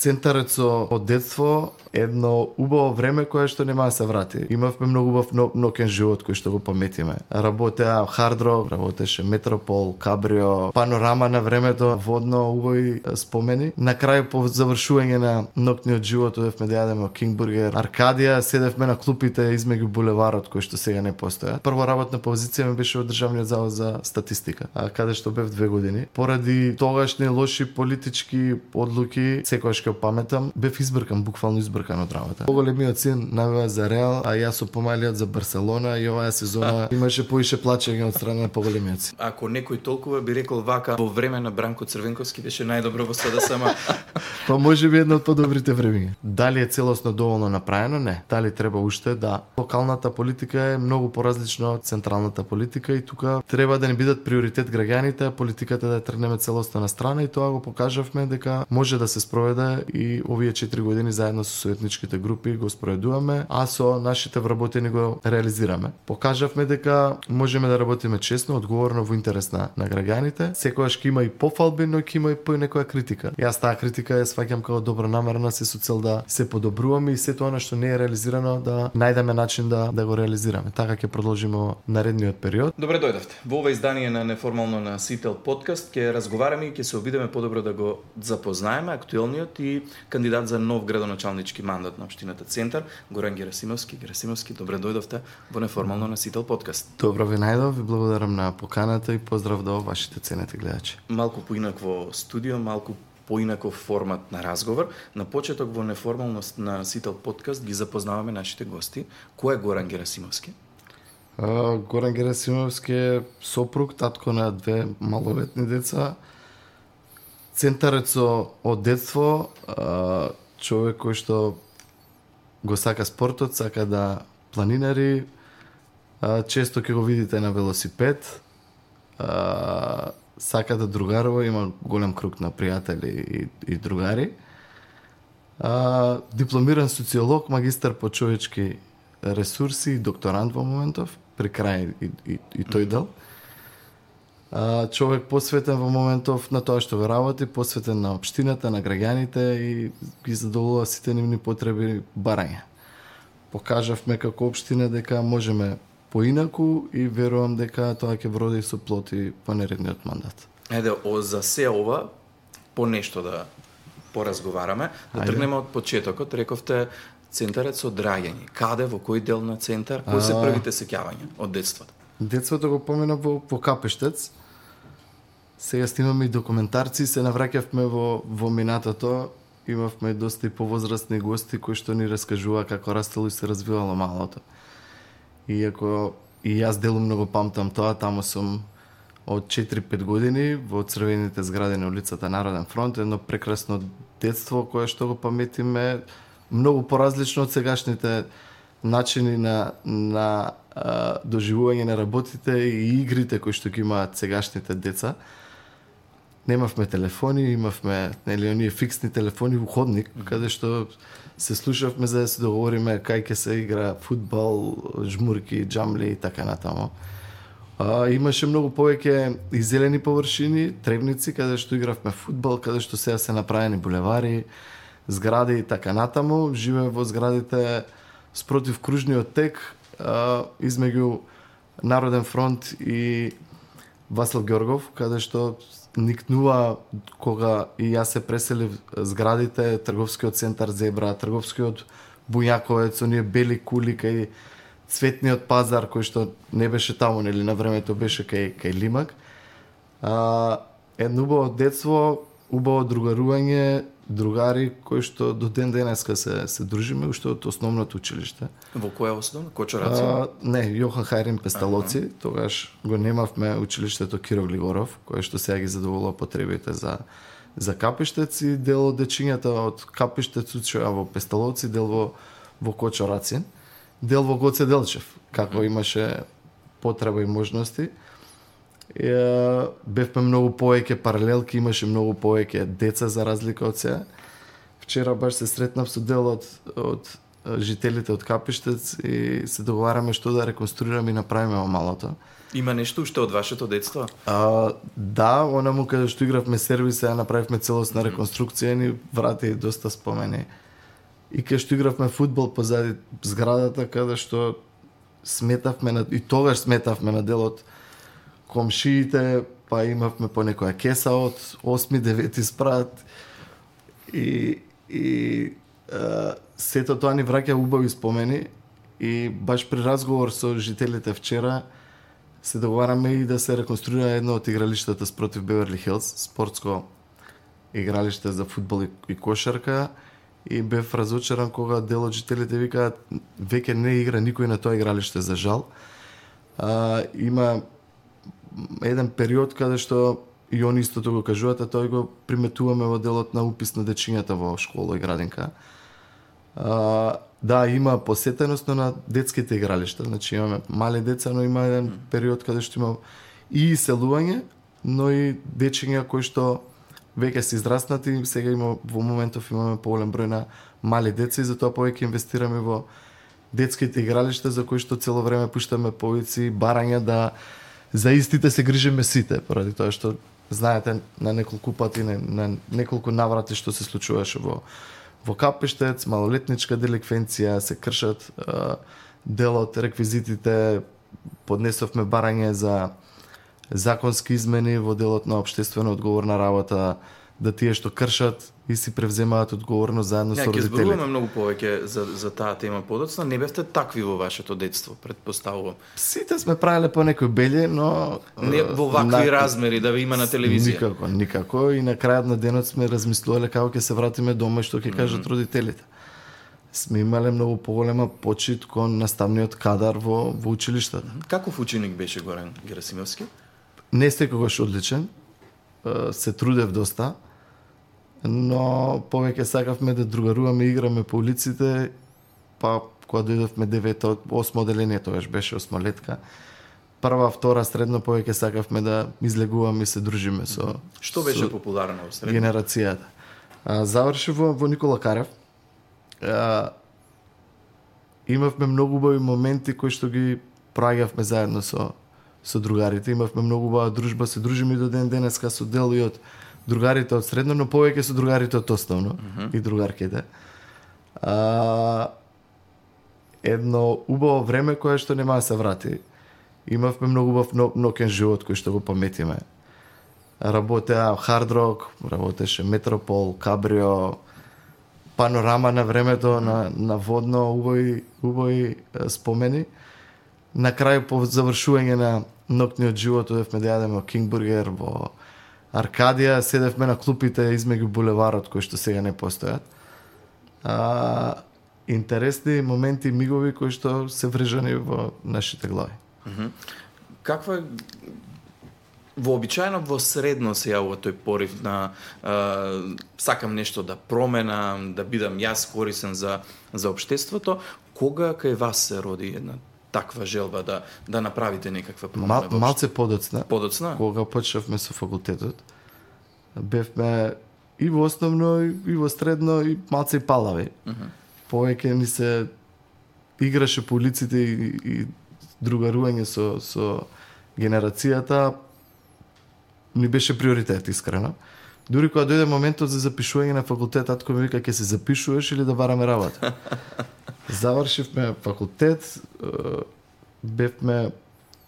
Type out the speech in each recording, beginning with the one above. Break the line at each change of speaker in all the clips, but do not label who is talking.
Центарецо од детство едно убаво време кое што нема да се врати. Имавме многу убав ноќен живот кој што го паметиме. Работеа Hard Rock, работеше Метропол, Кабрио, Панорама на времето, водно убави спомени. На крај по завршување на ноќниот живот одевме да јадеме King Burger, Аркадија, седевме на клупите измеѓу булеварот кој што сега не постоја. Прва работна позиција ми беше во Државниот завод за статистика, каде што бев 2 години. Поради тогашни лоши политички одлуки, секогаш ќе паметам, бев избркан, буквално избркан од работа. Поголемиот син навива за Реал, а јас со помалиот за Барселона и оваа сезона имаше поише плачење од страна на поголемиот син.
Ако некој толкова би рекол вака, во време на Бранко Црвенковски беше најдобро во СДСМ.
Па може би едно од подобрите времиња. Дали е целосно доволно направено? Не. Дали треба уште? Да. Локалната политика е многу поразлична од централната политика и тука треба да не бидат приоритет граѓаните, а политиката да ја тргнеме целосно на страна и тоа го покажавме дека може да се спроведе и овие 4 години заедно со советничките групи го спроведуваме, а со нашите вработени го реализираме. Покажавме дека можеме да работиме честно, одговорно во интерес на граѓаните. Секогаш ќе има и пофалби, но ќе има и по некоја критика. Јас таа критика ја сваќам како добронамерна со цел да се подобруваме и сето она што не е реализирано да најдеме начин да го реализираме. Така ќе продолжиме во наредниот период.
Добре дојдовте. Во ова издание на Неформално на Сител подкаст ќе разговараме и ќе се обидеме подобро да го запознаеме актуелниот и кандидат за нов градоначалнички мандат на општината Центар, Горан Герасимовски. Герасимовски, добре дојдовте во Неформално на Сител подкаст.
Добро ви најдов, ви благодарам на поканата и поздрав до вашите ценети гледачи.
Малку поинакво студио, малку поинаков формат на разговор. На почеток во Неформалност на Сител подкаст ги запознаваме нашите гости. Кој е Горан Герасимовски?
Горан Герасимовски е сопруг, татко на 2 малолетни деца. Центарецо од детство, човек кој што го сака спортот, сака да планинари, често ќе го видите на велосипед, сака да другарува, има голем круг на пријатели и другари. Дипломиран социолог, магистар по човечки ресурси и докторант во моментов, при крај и тој дел. Човек посветен во моментов на тоа што го работи, посветен на општината, на граѓаните и ги задоволува сите нивни потреби барање. Покажавме како општина дека можеме поинаку и верувам дека тоа ќе вроди со плоти по наредниот мандат.
Еде, за се ова, по нешто да поразговараме, да тргнеме од почетокот. Рековте Центарец од раѓање. Каде, во кој дел на Центар, кои се првите сеќавања од детството?
Детството го поминав во Капештец. Сега снимаме и документарци, се навраќавме во минатото. Имавме доста и повозрастни гости кои што ни раскажува како растело и се развивало малото. Иако и јас делумно го памтам тоа, таму сум од 4-5 години во црвените згради на улицата Народен фронт, едно прекрасно детство кое што го паметиме многу поразлично од сегашните начини на доживување на работите и игрите кои што ги имаат сегашните деца. Немавме телефони, имавме оние фиксни телефони во ходник, каде што се слушавме за да се договориме кај ќе се игра фудбал, жмурки, џамли и така натаму. Имаше многу повеќе и зелени површини, тревници, каде што игравме фудбал, каде што сега се направени булевари, згради и така натаму. Живееме во зградите спротив кружниот тек, измеѓу Народен фронт и Васлав Ѓоргов, каде што никнува кога и јас се преселив зградите, трговскиот центар Зебра, трговскиот Буњаковец, оние бели кули кај цветниот пазар кој што не беше таму, нели на времето беше кај Лимак. Едно убаво детство, убаво другарување, другари кои што до ден денеска се дружиме уште од основното училиште.
Во која основа? Кочораци?
Не, Јохан Хајрин Песталоци. Тогаш го немавме училиштето Киро Глигоров, кое што сега ги задоволува потребите за Капештец и дел од дечињата од Капештец учеа во Песталоци, дел во Кочорацин, дел во Гоце Делчев, како имаше потреба и можности. Бевме многу повеќе паралелки, имаше многу повеќе деца за разлика од сега. Вчера баш се сретнав со дел од жителите од Капиштец и се договараме што да реконструираме и направиме во малото.
Има нешто уште од вашето детство?
Да, онаму каде што игравме сервис, ја направивме целосна реконструкција, ни врати доста спомени. И каде што игравме фудбал позади зградата, каде што сметавме и тогаш сметавме на дел од комшиите, па имавме по некоја кеса од 8-9 спрат и сето тоа ни враќа убави спомени и баш при разговор со жителите вчера се договараме и да се реконструира едно од игралиштата спротив Беверли Хилс, спортско игралиште за фудбал и кошарка, и бев разочаран кога дел од жителите викаат веќе не игра никој на тоа игралиште, за жал. Има еден период каде што и они истото го кажуваат, а тој го приметуваме во делот на упис на дечињата во школа и градинка. Да, има посетеност на детските игралишта, значи имаме мали деца, но има еден период каде што има и иселување, но и дечиња кои што веќе се израснати, сега има во моментов имаме поголем број на мали деца и затоа повеќе инвестираме во детските игралишта за кои што цело време пуштаме повици, барања да за истите се грижиме сите, поради тоа што знаете на неколку пати, на неколку наврати што се случуваше во Капиштец, малолетничка деликвенција, се кршат дел од реквизитите, поднесовме барање за законски измени во делот на општествено одговорна работа, да тие што кршат и си превземаат одговорност заедно со родителите.
Ќе зборуваме многу повеќе за таа тема подоцна. Не бевте такви во вашето детство, предпоставувам.
Сите сме правеле по некој бели, но
не во вакви размери да ви има на телевизија.
Никако. И на крајот на денот сме размислувале како ќе се вратиме дома и што ќе кажат родителите. Сме имале многу поголема почит кон наставниот кадар во училиштата.
Каков ученик беше Горан Герасимовски?
Не секогаш одличен. Се трудев доста, но повеќе сакавме да другаруваме, играме по улиците, па кога дојдовме 9-то, 8 оделение, тогаш беше 8-летка. Прва, втора, средно повеќе сакавме да излегуваме и се дружиме со
Што беше популарно во средно?
Генерацијата. Завршив во Никола Карев. Имавме многу убави моменти кои што ги проаѓавме заедно со другарите. Имавме многу убава дружба, се дружиме и до ден денеска со дел и од другарите од средно, но повеќе со другарите од основно и другарките. Едно убаво време кое што нема да се врати. Имавме многу убав ноќен живот кој што го паметиме. Работеа Hard Rock, работеше Метропол, Кабрио, Панорама на времето, на водно, убави спомени. На крај по завршување на ноќниот живот одевме да јадеме King Burger во Аркадија, седевме на клупите измеѓу булеварот кои што сега не постојат. Интересни моменти, мигови кои што се врежани во нашите глави.
Каква вообичаено во средно се јавува тој порив на сакам нешто да променам, да бидам јас корисен за општеството, кога кај вас се роди една таква желба да направите некаква промена?
Малце подоцна.
Подоцна?
Кога почнавме со факултетот, бевме и во основно, и во средно, и малце и палави. Повеќе ни се играше по улиците и другарување со генерацијата ни беше приоритет, искрено. Дури кога дојде моментот за запишување на факултет, татко ми вика, ќе се запишуваш или да бараме работа? Завршивме факултет, бевме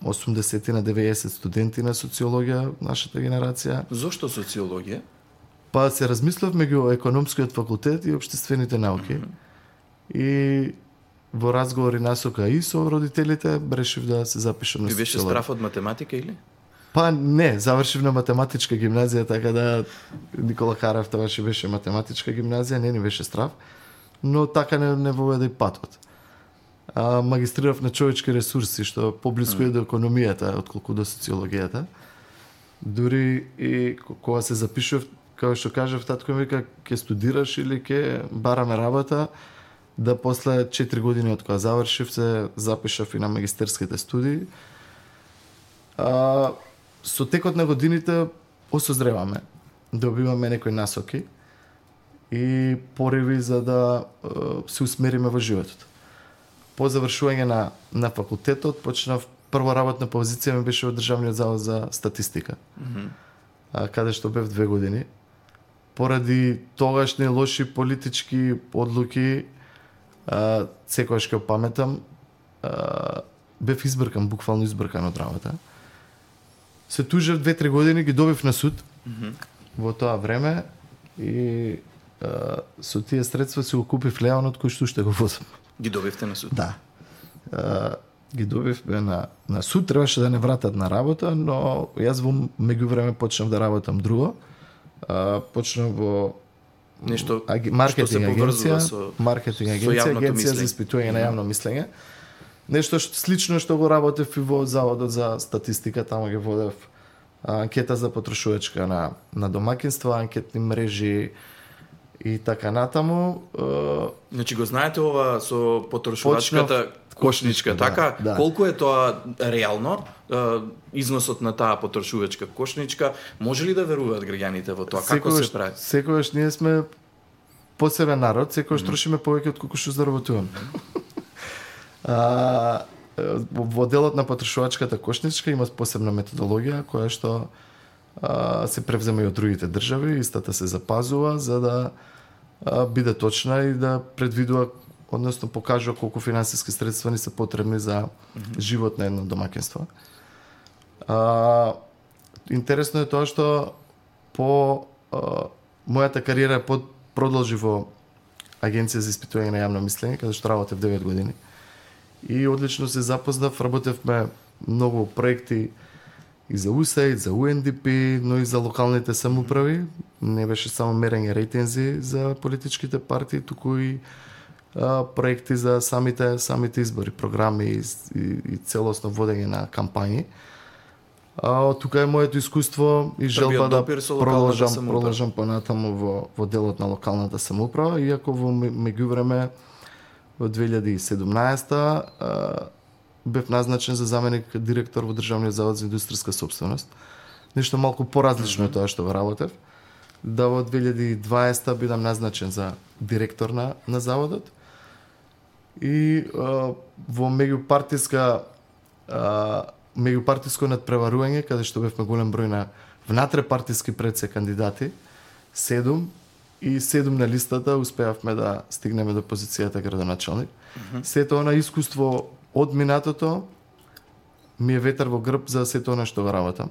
80 на 90 студенти на социологија, нашата генерација.
Зошто социологија?
Па се размислевме ги о економскиот факултет и општествените науки. И во разговори насока и со родителите, решив да се запишам на социологија.
Ви беше страф од математика или?
Па не, завршив на математичка гимназија, така да Никола Карев тогаш беше математичка гимназија, не ни беше страв, но така не воведе и патот. Магистрирав на човечки ресурси, што поблиску е до економијата, отколку до социологијата. Дури и кога се запишував, како што кажав, татко ми вика, ќе студираш или ќе бараме работа, да после 4 години од кога завршив се запишав и на магистерските студии. Со текот на годините осозреваме, добиваме некои насоки и пориви за да се усмериме во животот. По завршување на факултетот почнав прва работна позиција ми беше во Државниот завод за статистика. Каде што бев 2 години. Поради тогашни лоши политички одлуки, секогаш ќе паметам, бев избркан, буквално избркан од работа. Се тужев 2-3 години, ги добив на суд во тоа време и со тие средства си го купив Леонот кој што уште го возам.
Ги добивте на суд?
Да. Ги добивме на суд, требаше да не вратат на работа, но јас во меѓувреме почнав да работам друго. Почнав во
нешто
маркетинг агенција,
агенција
за испитување на јавно мислење. Нешто слично што го работев и во Заводот за статистика, таму ги водев анкета за потрошувачка на домаќинства, анкетни мрежи и така натаму.
Значи го знаете ова со потрошувачката кошничка, така?
Да.
Колку е тоа реално? Износот на таа потрошувачка кошничка, може ли да веруваат граѓаните во тоа? Како се прави?
Секогаш ние сме посебен народ, секогаш трошиме повеќе од колку што заработуваме. Во делот на потрошувачката кошничка има посебна методологија која што се превзема и од другите држави, истата се запазува за да биде точна и да предвидува, односно покажува колку финансиски средства ни се потребни за живот на едно домаќинство. Интересно е тоа што по мојата кариера продолжи во Агенција за испитување на јавно мислење, каде што работев 9 години. И одлично се запознав, работевме многу проекти и за УСАИД, за УНДП, но и за локалните самоуправи. Не беше само мерење рейтинзи за политичките партии, туку и проекти за самите избори, програми и целосно водење на кампањи. Тука е моето искуство и желба да продолжам понатаму во делот на локалната самоуправа, иако во меѓувреме во 2017 бев назначен за заменик директор во Државниот завод за индустријска сопственост. Нешто малку поразлично е тоа што го работев. Да во 2020 бидам назначен за директор на заводот. И во меѓупартиско надпреварување, каде што бевме голем број на внатрепартиски предсе кандидати, 7 на листата успеавме да стигнеме до позицијата градоначалник. Сето она искуство од минатото ми е ветер во грб за сето она што го работам.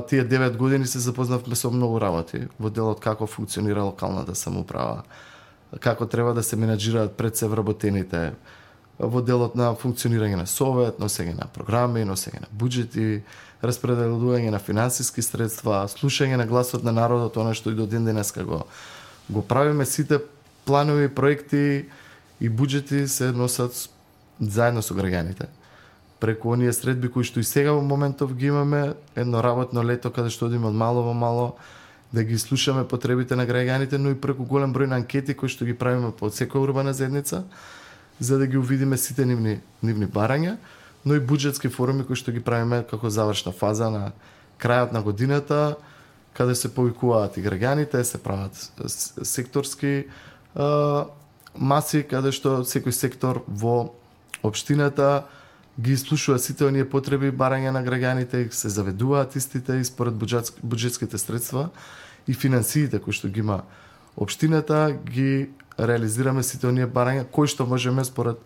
Тие 9 години се запознавме со многу работи во делот како функционира локалната самоуправа, како треба да се менаџираат пред се вработените, во делот на функционирање на совет, носење на програми, носење на буџети, распределување на финансиски средства, слушање на гласот на народот, она што и до ден денеска го правиме. Сите планови, проекти и буџети се носат заедно со граѓаните. Преку оние средби кои што и сега во моментов ги имаме, едно работно лето каде што одиме од мало во мало да ги слушаме потребите на граѓаните, но и преку голем број на анкети кои што ги правиме по секоја урбана заедница, за да ги увидиме сите нивни барања, но и буџетски форуми кои што ги правиме како завршна фаза на крајот на годината, каде се повикуваат и граѓаните, се прават секторски маси, каде што секој сектор во општината ги слушува сите оние потреби и барања на граѓаните, се заведуваат истите и според буџетските средства и финансиите кои што ги има општината, ги реализираме сите оние барања кои што можеме според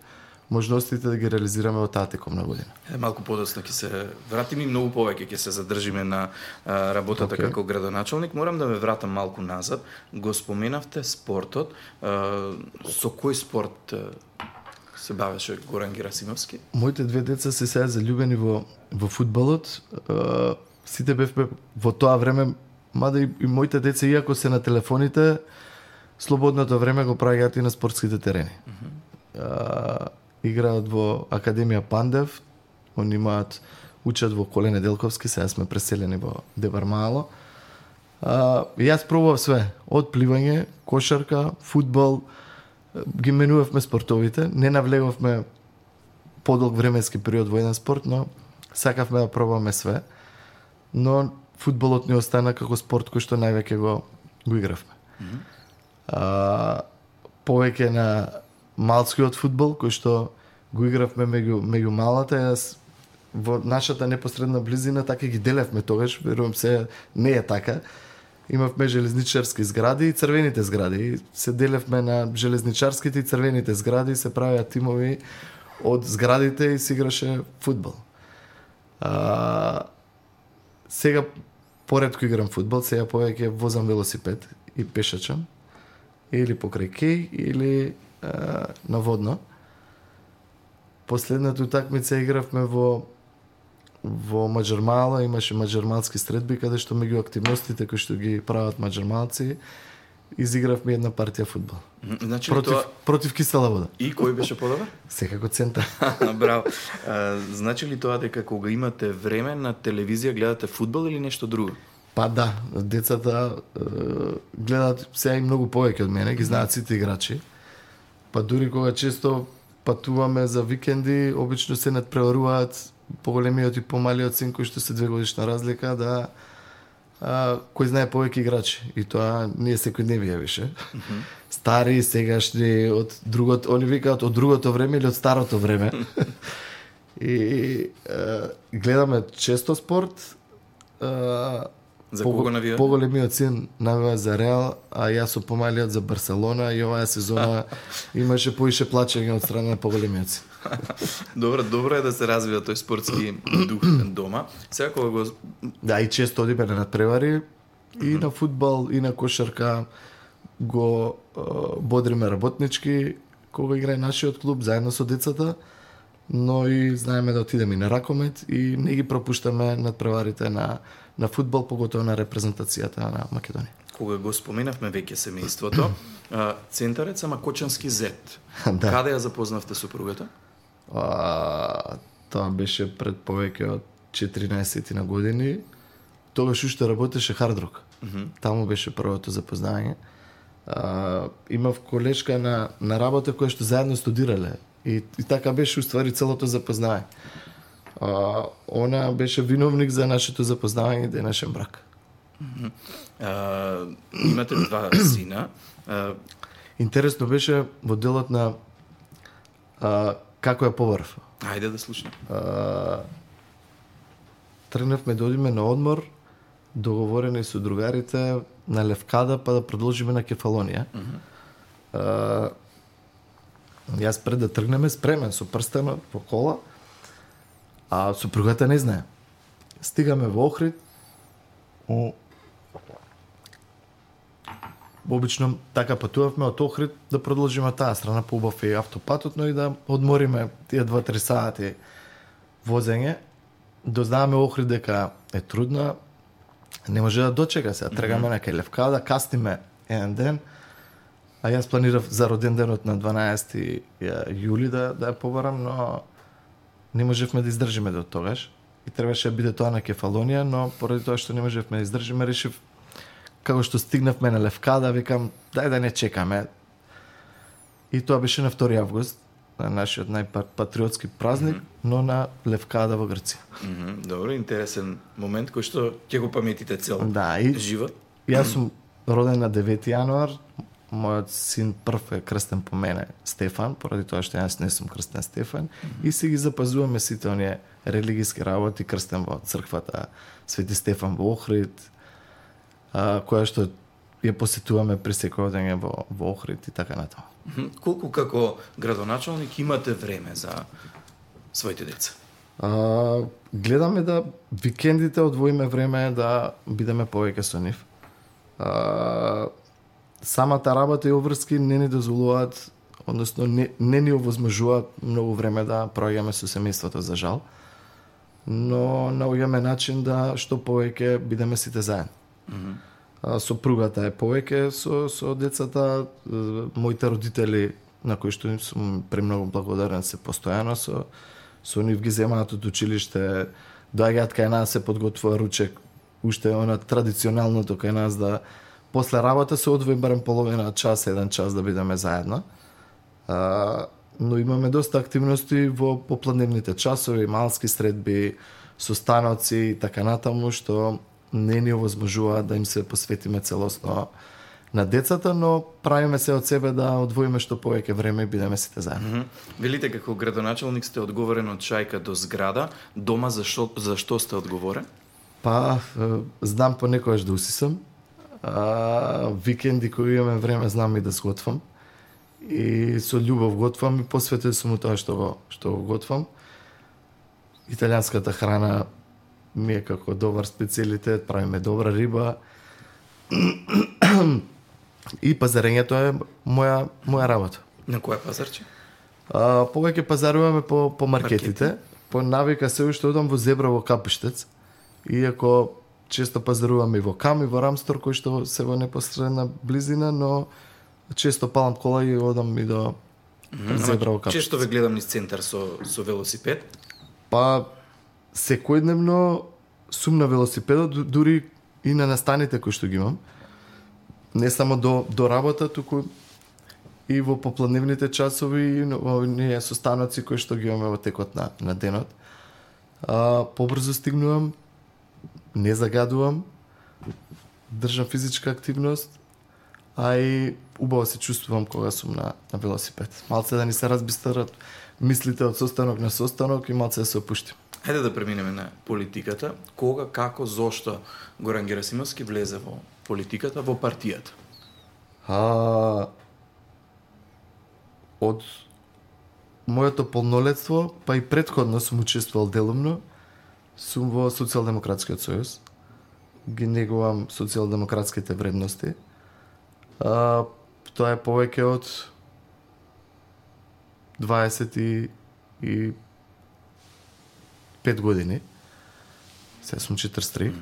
можностите да ги реализираме во таа текомна година.
Малку подоцна ќе се вратиме и многу повеќе ќе се задржиме на работата како градоначалник. Морам да ме вратам малку назад. Го споменавте спортот. Со кој спорт се бавеше Горан Герасимовски?
Моите две деца се сега заљубени во фудбалот. Сите бевме во тоа време, мада и моите деца, иако се на телефоните, слободното време го правиат и на спортските терени. Играат во Академија Пандев, они учат во Коле Неделковски, сега сме преселени во Дебар Мало. Јас пробував све, од пливање, кошарка, фудбал, ги менувавме спортовите, не навлегувавме подолг временски период во еден спорт, но сакавме да пробаме све. Но фудбалот ни остана како спорт кој што највеќе го игравме. Повеќе на малскиот фудбал, кој што го игравме меѓу малата, јас во нашата непосредна близина така ги делевме тогаш, верувам се не е така. Имавме железничарски згради и црвените згради. Се делевме на железничарските и црвените згради, се правеа тимови од зградите и се играше фудбал. Сега поретко играм фудбал, сега повеќе возам велосипед и пешачам или покрај кеј или на водно. Последната утакмица игравме во Маџармала, имаше маџармалски средби, каде што меѓу активностите кои што ги прават маџармалци, изигравме една партија фудбал.
Значи
против кисела вода.
И кој беше подобар?
Секако центар.
Браво. Значи ли тоа дека кога имате време на телевизија гледате фудбал или нешто друго?
Па да, децата гледаат сега и многу повеќе од мене, ги знаат сите играчи. Па дури кога често патуваме за викенди, обично се надпреваруваат поголемиот и помалиот син кој што се 2 годишна разлика, да кој знае повеќе играчи. И тоа ние секојдневие више. Стари, сегашни, од другото, они викаат од другото време или од старото време. И гледаме често спорт.
За кого навија?
Поголемиот син навија за Реал, а јас со помалиот за Барселона, и оваа сезона имаше поише плачење од страна на поголемиот син.
Добро е да се развива тој спортски дух дома. Сега кога го...
Да, и често одиме на надпревари и на фудбал, и на кошарка, го бодриме работнички, кога играе нашиот клуб, заедно со децата, но и знаеме да отидеме и на ракомет и не ги пропуштаме надпреварите на фудбал, поготово на репрезентацијата на Македонија.
Кога го споменавме веќе семејството, центарец ама Кочански зет.
Да.
Каде ја запознавте супругата?
Тоа беше пред повеќе од 14 на години. Тогаш уште работеше Hard Rock. Таму беше првото запознавање. Имав колешка на работа која што заедно студирале. И така беше уствари целото запознавање. Она беше виновник за нашето запознавање и денешен брак.
Имате 2 сина.
Интересно беше во делот на како ја побарав.
Ајде да слушнем.
Тргнавме да одиме на одмор, договорени со другарите на Левкада, па да продолжиме на Кефалонија. Јас пред да тргнеме спремен со прстена по кола, а супругата не знае. Стигаме во Охрид. Обично така патувавме од Охрид да продолжиме таа страна, по убав и автопатот, но и да одмориме тие 2-3 сати возење. Дознаваме Охрид дека е трудна, не може да дочека се. Тргаме на кај Левкада, кастиме еден ден, а јас планирав за роден денот на 12 јули да ја побарам, но не можевме да издржиме до тогаш. И требаше да биде тоа на Кефалонија, но поради тоа што не можевме да издржиме, решив како што стигнавме на Левкада, викам, дај да не чекаме. И тоа беше на 2 август, на нашиот најпатриотски празник, но на Левкада во Грција.
Добро, интересен момент кој што ќе го паметите цел живот.
Јас сум роден на 9 јануар, мојот син прв е крстен по мене, Стефан, поради тоа што јас не сум крстен Стефан, и си ги запазуваме сите оние религиски работи, крстен во црквата Свети Стефан во Охрид, која што ја посетуваме при секој одење во Охрид и така натаму.
Колку како градоначалник имате време за своите деца?
Гледаме да викендите одвоиме време да бидеме повеќе со нив. Самата работа и обврски не ни дозволуваат, односно не ни овозможуваат многу време да проаѓаме со семејството, за жал. Но наоѓаме начин да што повеќе бидеме сите заедно. Сопругата е повеќе со децата, моите родители на кои што сум премногу благодарен, се постојано со нив ги земаат од училиште, доаѓаат кај нас, се подготвува ручек, уште она традиционалното кај нас, да после работа се одвои барем половина час, 1 час да бидеме заедно. Но имаме доста активности во попладневните часови, малски средби, состаноци и така натаму, што не ни овозможува да им се посветиме целосно на децата, но правиме се од себе да одвоиме што повеќе време и бидеме сите заедно.
Велите како градоначалник сте одговорен од шајка до зграда, дома за што сте одговорен?
Па, знам понекогаш да усисам, викенди кои имаме време знам и да сготвам. И со љубов готвам и посветен сум тоа што го готвам. Италијанската храна ми е како добар специјалитет, правиме добра риба. И пазарењето е моја работа.
На кој пазарче?
Повеќе пазаруваме по маркетите. По навика се уште одам во Зебра во Капиштец. Иако често пазаруваме и во Кам и во Рамстор, кои што се во непосредна близина, но често палам кола и одам и до Зебра во Капиштец.
Често ве гледам низ центар со велосипед?
Па секојдневно сум на велосипедот, дури и на настаните кои што ги имам. Не само до работа, туку и во попладневните часови и ние состаноци кои што ги имаме во текот на денот. Побрзо стигнувам, не загадувам, држам физичка активност, а и убаво се чувствувам кога сум на велосипед. Малце да ни се разбистрат мислите од состанок на состанок и малце да се опуштим.
Хајде да преминеме на политиката. Кога, како, зошто Горан Герасимовски влезе во политиката, во партијата?
Од моето полнолетство, па и претходно сум учествувал делумно, сум во Социјалдемократскиот сојуз. Ги негувам социјалдемократските вредности. Тоа е повеќе од 25 години. Сега сум 43.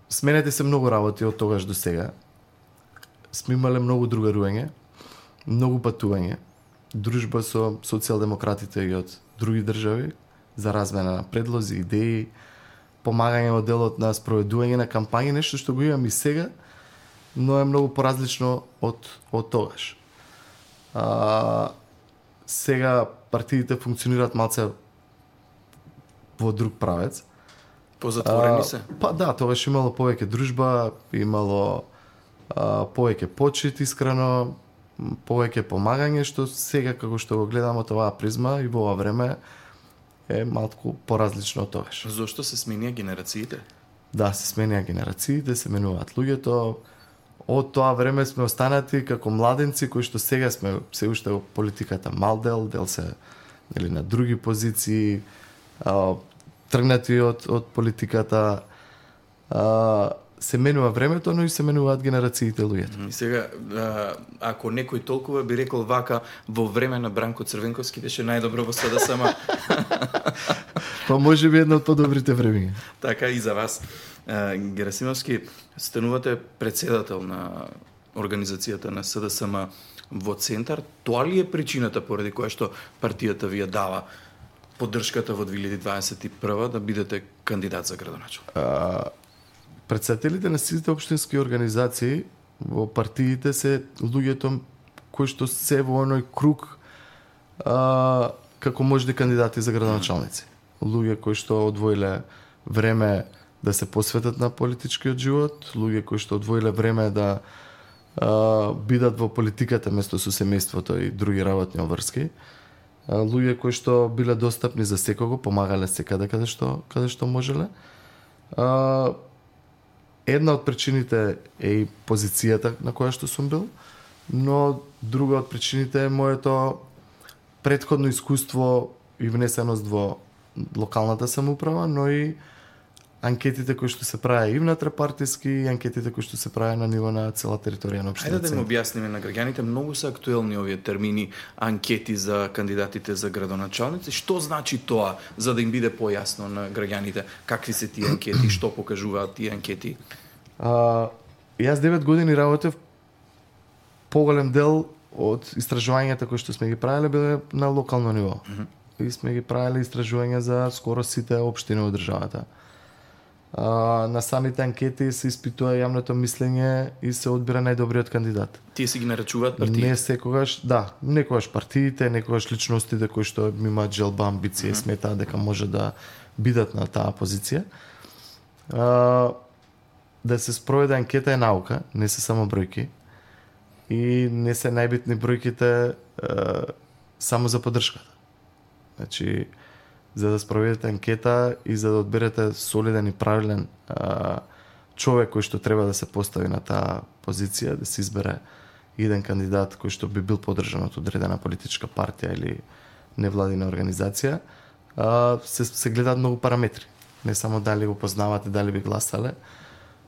Сменете се многу работи од тогаш до сега. Сме имале многу другарување, многу патување, дружба со социјалдемократите и од други држави за размена на предлози, идеи, помагање во делот на спроведување на кампањи, нешто што го имам и сега, но е многу поразлично од тогаш. Сега партиите функционираат малце во друг правец.
Позатворени се?
Па да, тогаш имало повеќе дружба, имало повеќе почит искрено, повеќе помагање, што сега како што го гледам од оваа призма и во ова време е малку поразлично од тогаш.
Зошто се сменија генерациите?
Да, се сменија генерациите, се менуваат луѓето. Од тоа време сме останати како младенци кои што сега сме се уште во политиката мал дел се нели на други позиции, тргнати од политиката. Се менува времето, но и се менуваат генерациите луѓето.
И сега, ако некој толкова би рекол вака, во време на Бранко Црвенковски беше најдобро во СДСМ.
Па може би едно од подобрите времиња.
Така и за вас. Герасимовски, станувате председател на организацијата на СДСМ во Центар. Тоа ли е причината поради која што партијата ви ја дава поддршката во 2021 да бидете кандидат за градоначалник?
Председателите на сите општински организации во партиите се луѓето кои што се во оној круг како можни кандидати за градоначалници. Луѓе кои што одвоиле време да се посветат на политичкиот живот, луѓе кои што одвоиле време да бидат во политиката место со семејството и други работни обврски. Луѓе кои што биле достапни за секого, помагале секаде каде што можеле. Една од причините е и позицијата на која што сум бил, но друга од причините е моето претходно искуство и внесеност во локалната самоуправа, но и анкетите кои што се прави и внатропартиски, и анкетите кои што се прави на ниво на цела територија на општината.
Ајде да им објасниме на граѓаните, многу се актуелни овие термини, анкети за кандидатите за градоначалници. Што значи тоа, за да им биде појасно на граѓаните? Какви се тие анкети, што покажуваат тие анкети?
Јас 9 години работев, поголем дел од истражувањата кои што сме ги правеле биле на локално ниво. И сме ги правеле истражувања за скоро сите општини во државата. На самите анкети се испитува јавното мислење и се одбира најдобриот кандидат.
Тие си ги нарачуваат партиите?
Не секогаш, да, некогаш партиите, некогаш личностите кои што имаат желба, амбиција, сметаат дека може да бидат на таа позиција. да се спроведе анкета е наука, не се само бројки. И не се најбитни бројките само за поддршката. Значи, за да спроведете анкета и за да одберете солиден и правилен човек кој што треба да се постави на таа позиција, да се избере еден кандидат кој што би бил поддржан од одредена политичка партија или невладина организација, се гледаат многу параметри. Не само дали го познавате, дали би гласале,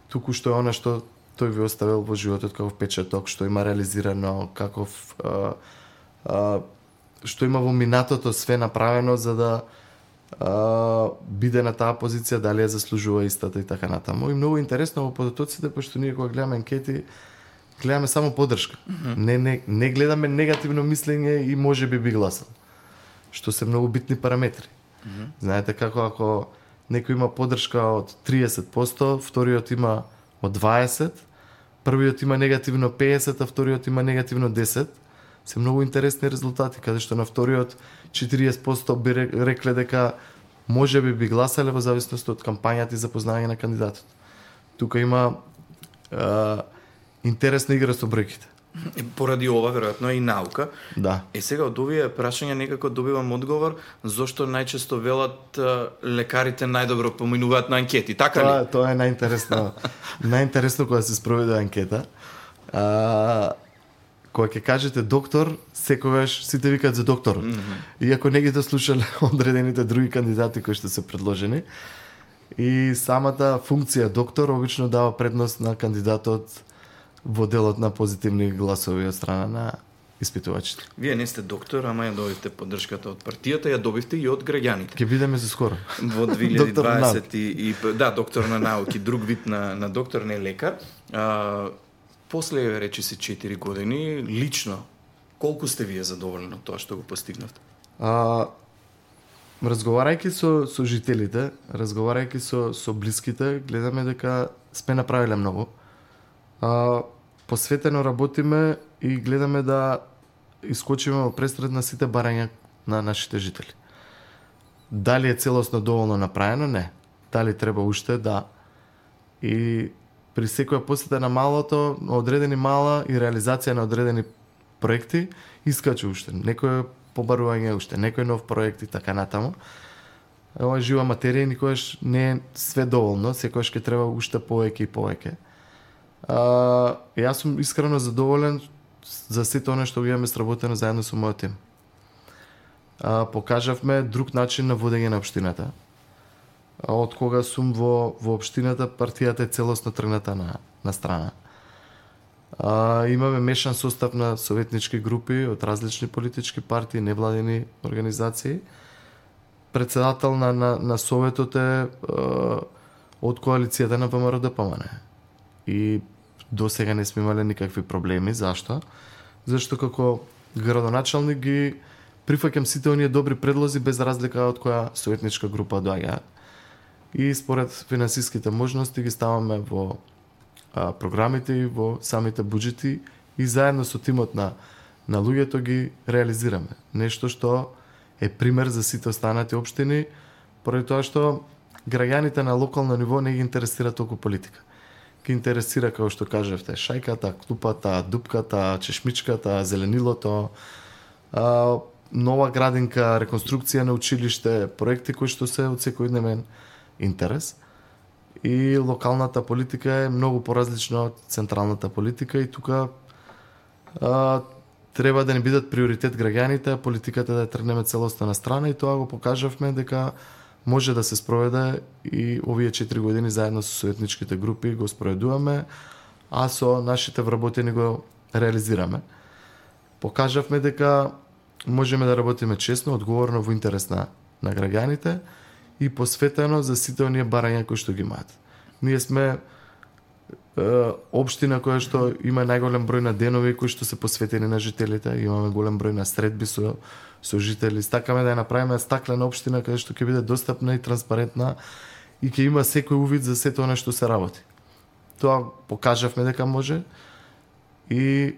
туку што е она што тој ви оставил во животот како впечаток, што има реализирано, каков што има во минатото све направено за да биде на таа позиција, дали ја заслужува истата и така натаму. И многу интересно во податоците, пошто ние кога гледаме анкети, гледаме само поддршка. Не гледаме негативно мислење и може би гласал. Што се многу битни параметри. Знаете како ако некој има поддршка од 30%, вториот има од 20%, првиот има негативно 50%, а вториот има негативно 10%, се многу интересни резултати, каде што на вториот 40% би рекле дека може би гласале во зависност од кампањата и запознавање на кандидатот. Тука има интересна игра со бројките.
Поради ова, веројатно, и наука.
Да.
Сега од овие прашања некако добивам одговор зошто најчесто велат лекарите најдобро поминуваат на анкети, така ли?
Тоа е најинтересно. Најинтересно кога се спроведе анкета. Кога ќе кажете доктор, секогаш сите викаат за доктор. Иако не ги дослушале одредените други кандидати кои што се предложени. И самата функција доктор обично дава предност на кандидатот во делот на позитивни гласови од страна на испитувачите.
Вие не сте доктор, ама ја добивте поддршката од партијата, ја добивте и од граѓаните.
Ќе бидеме за скоро.
Во 2020 да, доктор на науки, друг вид на доктор, не лекар. После, речи се 4 години, лично, колку сте вие задоволни од тоа што го постигнавте?
Разговарајќи со жителите, разговарајќи со блиските, гледаме дека сме направиле многу. Посветено работиме и гледаме да искочиме во престред на сите барања на нашите жители. Дали е целосно доволно направено? Не. Дали треба уште? Да. И при секоја посета на малото, на одредени мала и реализација на одредени проекти, искачу уште. Некој побарување уште, некој нов проект и така натаму. Ова е жива материја, никогаш не е све доволно, секогаш ќе треба уште повеќе и повеќе. Јас сум искрено задоволен за сето она што го имаме сработено заедно со мојот тим. Покажавме друг начин на водење на општината. Од кога сум во општината, партијата е целосно тргната на страна. Имаме мешан состав на советнички групи од различни политички партии, невладини организации. Председател на советот е од коалицијата на ВМРО-ДПМН. И до сега не сме имале никакви проблеми. Зашто? Зашто како градоначалник ги прифаќам сите оние добри предлози без разлика од која советничка група доаѓа. И според финансиските можности ги ставаме во програмите и во самите буџети и заедно со тимот на луѓето ги реализираме. Нешто што е пример за сите останати општини, поради тоа што граѓаните на локално ниво не ги интересира толку политика. Ги интересира, како што кажавте, шајката, клупата, дупката, чешмичката, зеленилото, нова градинка, реконструкција на училиште, проекти кои што се од секојдневен интерес. И локалната политика е многу поразлична од централната политика и тука треба да не бидат приоритет граѓаните, а политиката да ја тргнеме целосно на страна и тоа го покажавме дека може да се спроведе и овие 4 години заедно со советничките групи го спроведуваме, а со нашите вработени го реализираме. Покажавме дека можеме да работиме честно, одговорно во интерес на граѓаните и посветено за сите оние барања кои што ги имаат. Ние сме општина која што има најголем број на денови кои што се посветени на жителите, имаме голем број на средби со жители. Стакаме да ја направиме стаклена општина каде што ќе биде достапна и транспарентна и ќе има секој увид за сето она што се работи. Тоа покажавме дека може и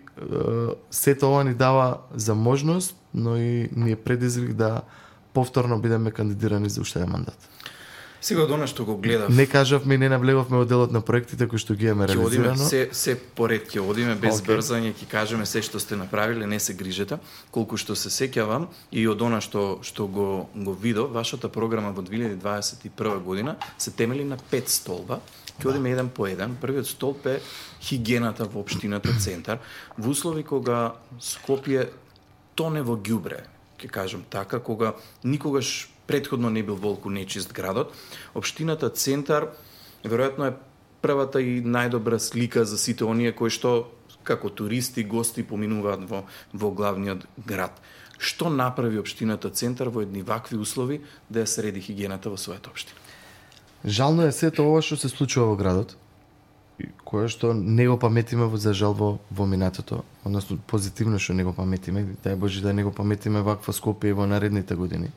сето ова ни дава за можност, но и ни е предизвик да повторно бидеме кандидирани за уште еден мандат.
Сега од она што го гледав.
Не кажавме и не навлеговме во делот на проектите кои што ги имаме реализирано.
Се поред ќе одиме без брзање, ќе кажеме се што сте направиле, не се грижете. Колку што се сеќавам и од она што го видов, вашата програма во 2021 година се темели на 5 столба. Ќе одиме еден по еден. Првиот столб е хигиената во општината Центар, во услови кога Скопје тоне во ѓубре, ќе кажам така, кога никогаш претходно не бил волку нечист градот. Општината Центар веројатно е првата и најдобра слика за сите оние кои што како туристи, гости поминуваат во главниот град. Што направи општината Центар во едни вакви услови да ја среди хигиената во својата општина?
Жално е сето ова што се случува во градот, кое што не го паметиме за жал во минатото, односно позитивно што не го паметиме, дај Боже да не го паметиме ваква Скопје во наредните години.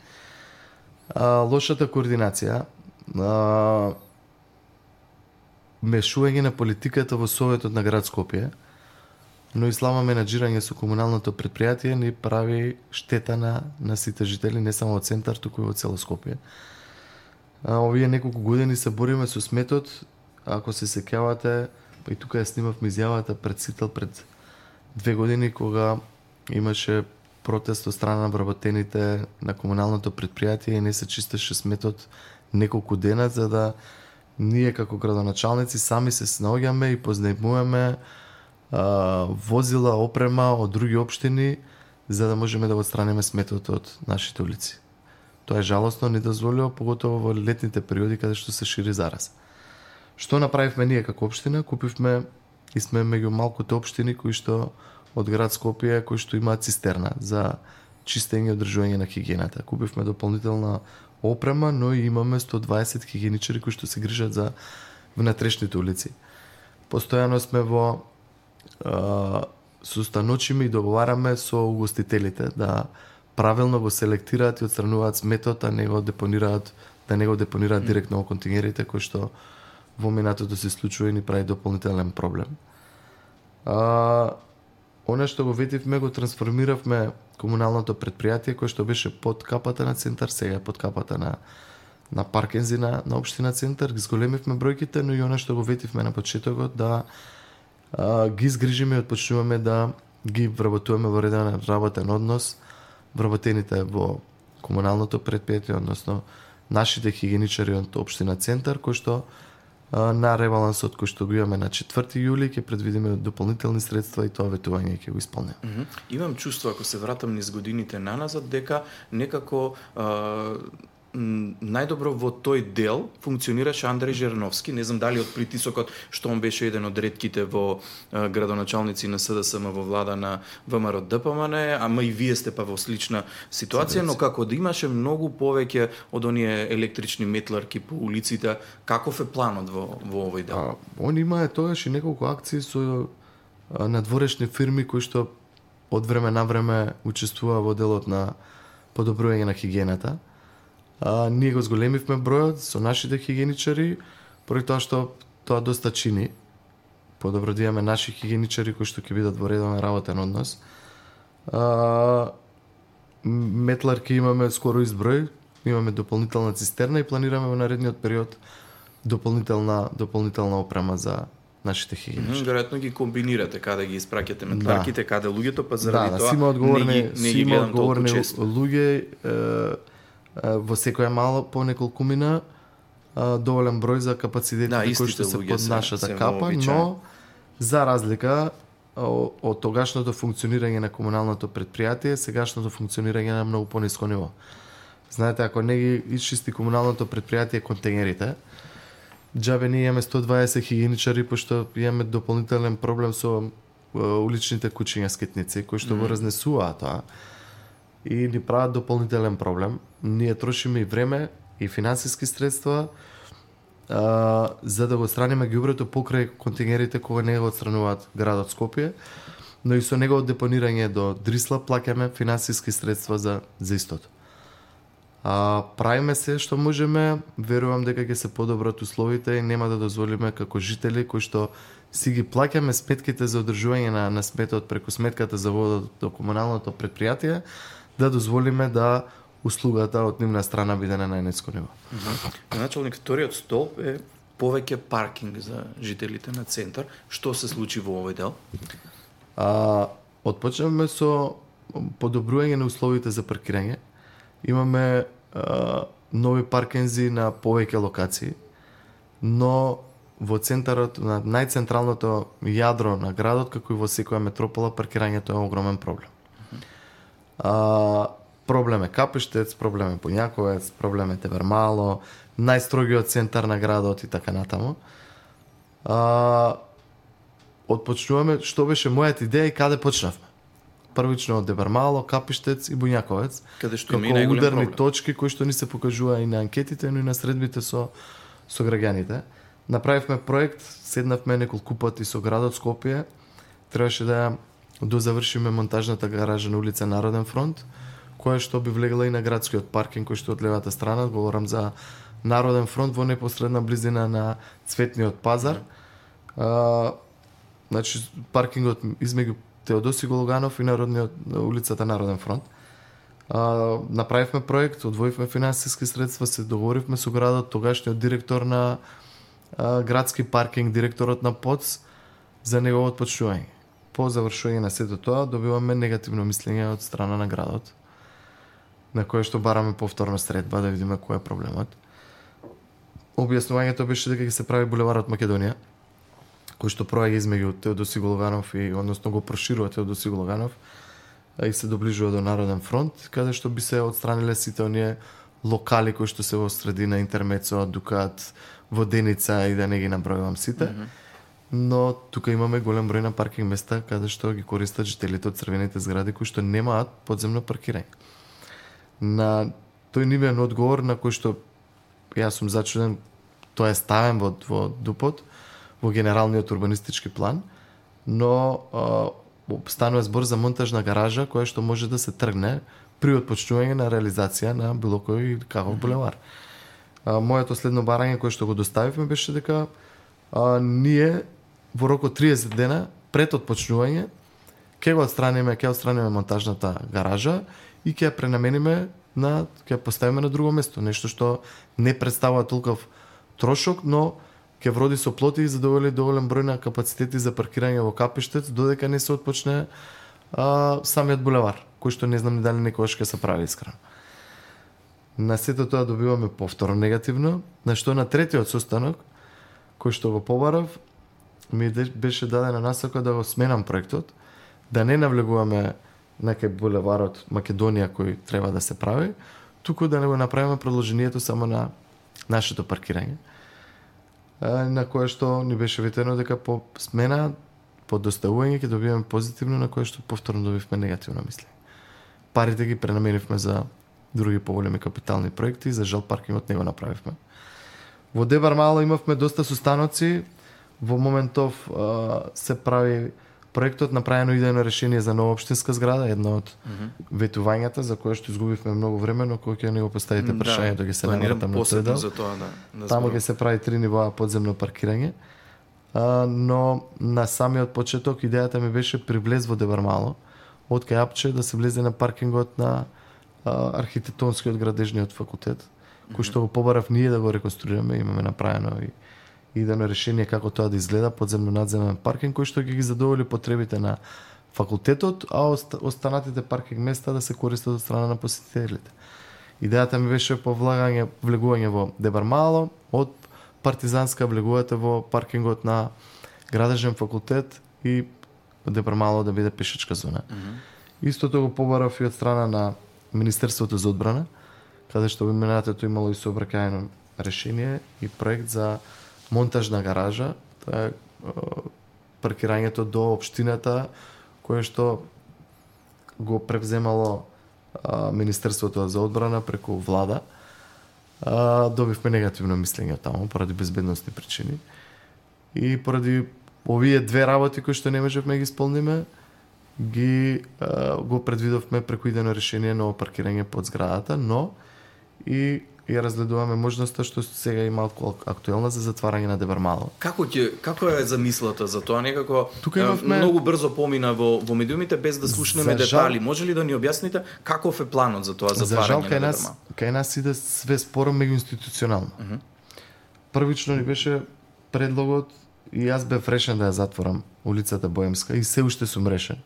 Лошата координација, мешување на политиката во Советот на град Скопје, но и слаба менаџирање со комуналното претпријатие ни прави штета на сите жители, не само во Центар, туку и во цело Скопје. Овие неколку години се бориме со сметот, ако се сеќавате, па и тука ја снимавме изјавата пред Сител пред 2 години, кога имаше протест од страна на вработените на комуналното претпријатие и не се чистеше сметот неколку дена, за да ние како градоначалници сами се снаоѓаме и познајмуваме возила, опрема од други општини, за да можеме да го отстраниме сметот од нашите улици. Тоа е жалосно, недозволиво, поготово во летните периоди каде што се шири зараз. Што направивме ние како општина? Купивме и сме меѓу малкото општини кои што од град Скопје кои што имаат цистерна за чистење и одржување на хигиената. Купивме дополнителна опрема, но и имаме 120 хигиеничари кои што се грижат за внатрешните улици. Постојано сме во состаночиме и договараме со угостителите да правилно го селектираат и отстрануваат сметот, а не го депонираат, да не го депонираат директно во контингерите, кои што во минатото се случува и ни прави дополнителен проблем. Оно што го ветивме, го трансформиравме комуналното претпријатие кој што беше под капата на Центар, сега под капата на Паркензи на општина Центар, ги зголемивме бројките, но и оно што го ветивме на почетокот да ги изгрижиме и отпочнуваме да ги вработуваме во редовен работен однос вработените во комуналното претпријатие, односно нашите хигиеничари од општина Центар, кои што на ребалансот кој што го имаме на 4 јули ќе предвидиме дополнителни средства и тоа ветување ќе го исполнеме.
Имам чувство, ако се вратам низ годините наназад, дека некако најдобро во тој дел функционираше Андреј Жерновски. Не знам дали од притисокот што он беше еден од ретките во градоначалници на СДСМ во влада на ВМРО ДПМН, ама и вие сте па во слична ситуација, но како да имаше многу повеќе од оние електрични метларки по улиците, каков е планот во овој дел?
Он има тогаш и неколку акции со надворешни фирми кои што од време на време учествува во делот на подобрување на хигиената. Ние го зголемивме бројот со нашите хигиеничари, поради тоа што тоа доста чини. Подобро да имаме наши хигиеничари кои што ќе бидат во редовен работен однос. Метларки имаме скоро изброј, имаме дополнителна цистерна и планираме во наредниот период дополнителна опрема за нашите хигиеничари.
Веројатно ги комбинирате каде ги испраќате метларките, каде луѓето, па заради тоа
не ги гледам толку често. Луѓе во секоја мала по неколкумина доволен број за капацитетите кои што се под нашата капа, но за разлика од тогашното функционирање на комуналното претпријатие, сегашното функционирање на многу пониско ниво. Знаете, ако не ги исчисти комуналното претпријатие контейнерите, џабе ние имаме 120 хигиеничари, пошто имаме дополнителен проблем со уличните кучиња скитници кои што го разнесуваат тоа и ни прават дополнителен проблем. Ние трошиме и време и финансиски средства за да го отстраниме ѓубрето покрај контингерите кога не го отстрануваат градот Скопје, но и со негово депонирање до Дрисла плаќаме финансиски средства за истото. Правиме се што можеме, верувам дека ќе се подобрат условите и нема да дозволиме како жители кои што си ги плаќаме сметките за одржување на сметот преку сметката за вода до комуналното претпријатие, да дозволиме да услугата од нивна страна биде на најниско ниво.
Началник, вториот столб е повеќе паркинг за жителите на центар. Што се случи во овој дел?
Отпочнавме со подобрување на условите за паркирање. Имаме нови паркинзи на повеќе локации, но во центарот, на најцентралното јадро на градот, како и во секоја метропола, паркирањето е огромен проблем. Проблем е Капиштец, проблем е Бунјаковец, проблем е Тевермало, најстрогиот центар на градот и така натаму. Отпочнуваме, што беше мојата идеја и каде почнавме. Првично од Дебармало, Капиштец и Бунјаковец,
каде што
како ударни точки кои што ни се покажува и на анкетите, но и на средбите со граѓаните. Направивме проект, седнавме неколку пати со градот Скопје, требаше да дозавршиме монтажната гаража на улица Народен фронт, која што би влегла и на градскиот паркинг кој што од левата страна, говорам за Народен фронт во непосредна близина на Цветниот пазар. Значи паркингот измеѓу Теодоси Гологанов и улицата Народен фронт. Направивме проект, одвоивме финансиски средства, се договоривме со градот, тогашниот директор на градски паркинг, директорот на ПОЦ за неговото почнување. По завршување на сето тоа добиваме негативно мислење од страна на градот, на кое што бараме повторна средба да видиме кој е проблемот. Објаснувањето беше дека ќе се прави булеварот Македонија, кој што проаѓа измеѓу Теодоси Гологанов и односно го проширува Теодоси Гологанов и се доближува до Народен фронт, каде што би се отстраниле сите оние локали кои што се во средина Интермецо, Дукат, Воденица и да не ги набројувам сите. Но тука имаме голем број на паркинг места каде што ги користат жителите од црвените згради кои што немаат подземно паркирање. На тој нивен одговор на кој што јас сум зачуден, тоа е ставен во ДУП-от, во генералниот урбанистички план, но станува збор за монтажна гаража која што може да се тргне при отпочнување на реализација на било кој каков булевар. Моето следно барање кое што го доставивме беше дека ние во рок од 30 дена пред отпочнување ќе отстраниме монтажната гаража и ќе ја пренамениме ќе ја поставиме на друго место, нешто што не представува толков трошок, но ќе вроди со плоти и задоволи доволен број на капацитети за паркирање во Капиштец додека не се отпочне самиот булевар, кој што не знам дали некогаш ќе се прави искрено. На сето тоа добиваме повторно негативно, на што на третиот состанок, кој што го побарав, ми беше дадена насока да го сменам проектот, да не навлегуваме на кај булеварот Македонија кој треба да се прави, туку да не го направиме продолжението само на нашето паркирање, на кое што ни беше ветено дека по смена, по доставување ќе добиваме позитивно, на кое што повторно добивме негативно мислење. Парите ги пренаменивме за други поголеми капитални проекти, за жал паркингот не го направивме. Во Дебармало имавме доста состаноци, во моментов се прави проектот, направено идејно решение за нова општинска зграда, едно од ветувањата за кое што изгубивме многу време, но кој ќе не го поставите прашањето ќе се навратам на тој дел. Таму ќе се прави 3 нивоа подземно паркирање. Но на самиот почеток идејата ми беше при влез во Дебармало, од кај Апче да се влезе на паркингот на архитектонскиот градежниот факултет, кој што го побарав ние да го реконструираме, имаме направено и идејно решение како тоа да изгледа, подземно надземен паркинг кој што ќе ги задоволи потребите на факултетот, а останатите паркинг места да се користат од страна на посетителите. Идејата ми беше по влегување во Дебармало, од Партизанска влегувате во паркингот на градежен факултет и Дебармало да биде пешачка зона. Истото го побарав и од страна на Министерството за одбрана, каде што во минатото имало и сообраќајно решение и проект за монтажна гаража, тоа е паркирањето до општината кое што го превземало Министерството за одбрана преку влада. Добивме негативно мислење таму поради безбедносни причини и поради овие две работи кои што не можевме ги исполниме, го предвидовме преку идејно решение ново паркирање под зградата, но и ја разгледуваме можноста што сега е малку актуелна за затварање на Дебармало.
Како е замислата за тоа? Некако многу брзо помина во медиумите без да слушнеме детали. Може ли да ни објасните каков е планот за тоа затварање на Дебармало?
Кај нас иде све споро меѓуинституционално. Првично ни беше предлогот и јас бев решен да ја затворам улицата Боемска и се уште сум решен.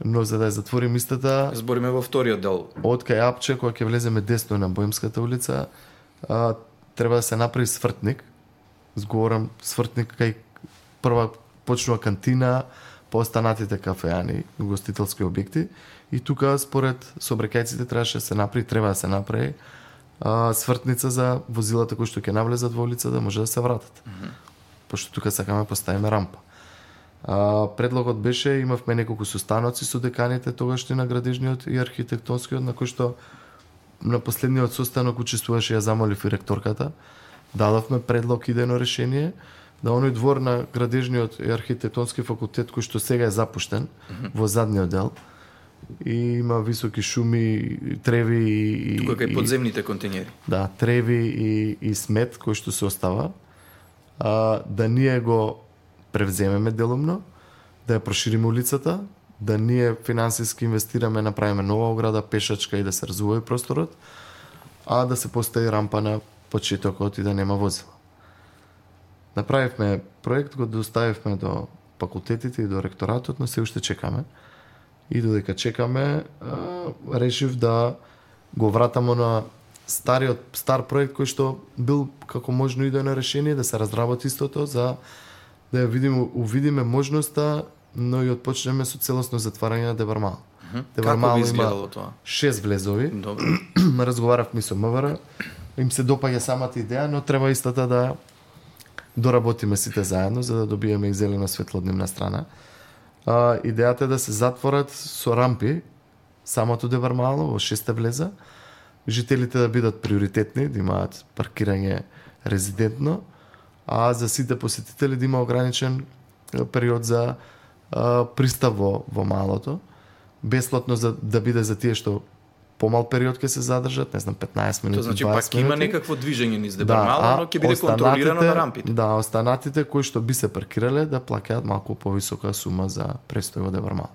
Но за да ја затворим истата...
Збориме во вториот дел.
Од кај Апче, кога ќе влеземе десно на Боемската улица, треба да се направи свртник. Зговорам свртник кај прва почнува кантина, по останатите кафеани, гостителски објекти. И тука, според сообраќајците, треба да се направи свртница за возилата кои што ќе навлезат во улица да може да се вратат. Пошто тука сакаме поставиме рампа. Предлогот беше, имавме неколку состаноци со деканите тогашни на градежниот и архитектонскиот, на кој што на последниот состанок учествуваше, ја замолив и ректорката. Дадовме предлог идејно решение да оној двор на градежниот и архитектонски факултет кој што сега е запуштен во задниот дел и има високи шуми, треви и
тука кај подземните контейнери.
Да, треви и смет кој што се остава. Да ние го превземеме делумно, да ја прошириме улицата, да ние финансиски инвестираме, направиме нова ограда, пешачка и да се развива просторот, а да се постави рампа на почетокот и да нема возила. Направивме проект, го доставивме до факултетите и до ректоратот, но се уште чекаме. И додека чекаме, решив да го вратамо на стар проект кој што бил како можно идејно решение, да се разработи истото за да ја увидиме можноста, но и отпочнеме со целосно затварање на Дебармало.
Како би изгледало тоа?
6 влезови. Разговаравме со МВР, им се допаѓа самата идеја, но треба истата да доработиме сите заедно за да добиеме и зелено светло од нивна страна. Идејата е да се затворат со рампи самото Дебармало во 6 влеза, жителите да бидат приоритетни, да имаат паркирање резидентно, а за сите посетители да има ограничен период за пристап во малото, бесплатно да биде за тие што помал период ќе се задржат, не знам, 15 минути, 20 минути.
Тоа значи пак има некакво движење низ Дебармало, но ќе биде контролирано на рампите.
Да, останатите кои што би се паркирале да плаќаат малку повисока сума за престој во Дебармало.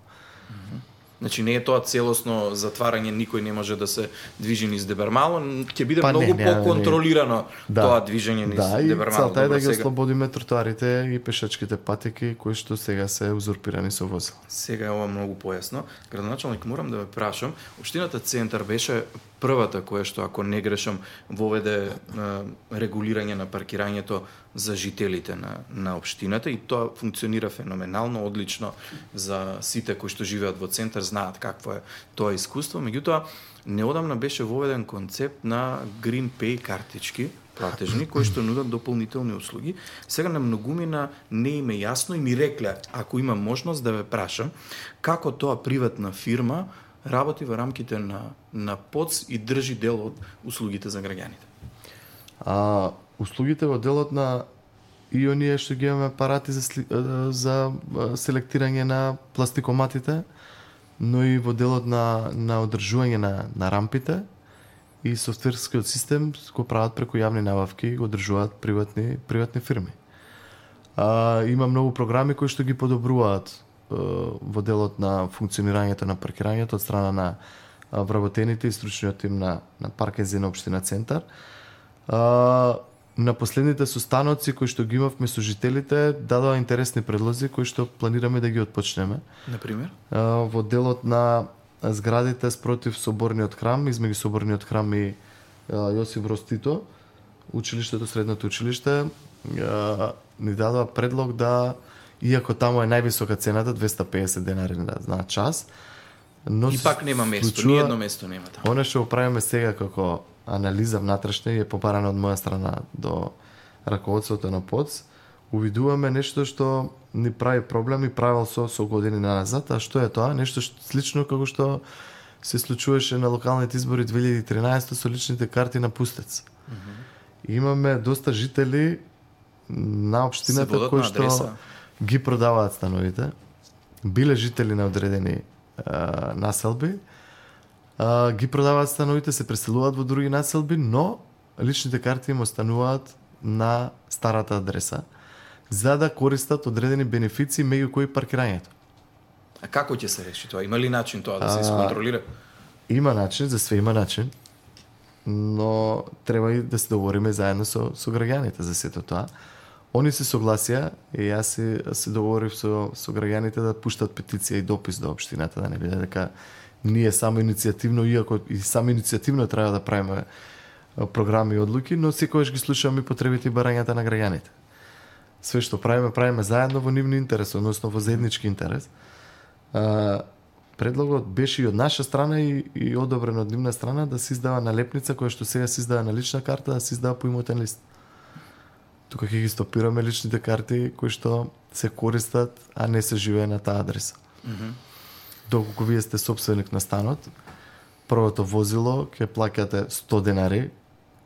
Значи не е тоа целосно затварање, никој не може да се движи низ Дебармало, ќе биде многу поконтролирано тоа движење низ Дебармало.
Да, и целта е да ги ослободиме тротоарите и пешачките патеки кои што сега се узурпирани со возила.
Сега е ова многу појасно. Градоначалник, морам да ве прашам, општината Центар беше првата која што, ако не грешам, воведе регулирање на паркирањето за жителите на општината и тоа функционира феноменално, одлично за сите кои што живеат во Центар, знаат какво е тоа искуство. Меѓутоа, неодамна беше воведен концепт на Green Pay картички, платежни, кои што нудат дополнителни услуги. Сега на многумина не им е јасно и ми рекле, ако имам можност да ве прашам, како тоа приватна фирма работи во рамките на ПОЦ и држи дел од услугите за граѓаните?
Услугите во делот на и оние што ги имаме апарати за селектирање на пластикоматите, но и во делот на одржување на рампите и софтверскиот систем го прават преку јавни набавки и го одржуваат приватни фирми. Има многу програми кои што ги подобруваат во делот на функционирањето на паркирањето од страна на вработените и стручниот тим на паркинзи на општина Центар. На последните состаноци кои што ги имавме со жителите дадоа интересни предлози кои што планираме да ги отпочнеме.
Например?
Во делот на зградите спротив Соборниот храм, измеѓу Соборниот храм и Јосиф Броз Тито, училиштето, средното училиште, ни дадоа предлог да, иако таму е највисока цената, 250 денари на час, но
и пак нема место, ни едно место нема таму.
Оно што го правиме сега како анализа внатрешна и е побарана од моја страна до раководството на ПОЦ, увидуваме нешто што ни прави проблем и правил со години назад, а што е тоа? Нешто слично како што се случуваше на локалните избори 2013 со личните карти на пустец. Имаме доста жители на општината кои што ги продаваат становите, биле жители на одредени населби, ги продаваат становите, се преселуваат во други населби, но личните карти им остануваат на старата адреса, за да користат одредени бенефиции, меѓу кои паркирањето.
А како ќе се реши тоа? Има ли начин тоа да се исконтролира?
Има начин, за све има начин, но треба и да се договориме заедно со граѓаните за сето тоа. Они се согласија и јас се договорив со граѓаните да пуштат петиција и допис до општината, да не биде дека ние само иницијативно, иако и само иницијативно треба да правиме програми и одлуки, но секогаш ги слушаме потребите и барањата на граѓаните. Све што правиме заедно во нивни интерес, односно во заеднички интерес. Предлогот беше и од наша страна и одобрен од нивна страна да се издава налепница која што сега се издава на лична карта, да се издава по имотен лист. Тука ќе ги стопираме личните карти кои што се користат, а не се живее на таа адреса. Доколку вие сте сопственик на станот, првото возило ќе плаќате 100 денари,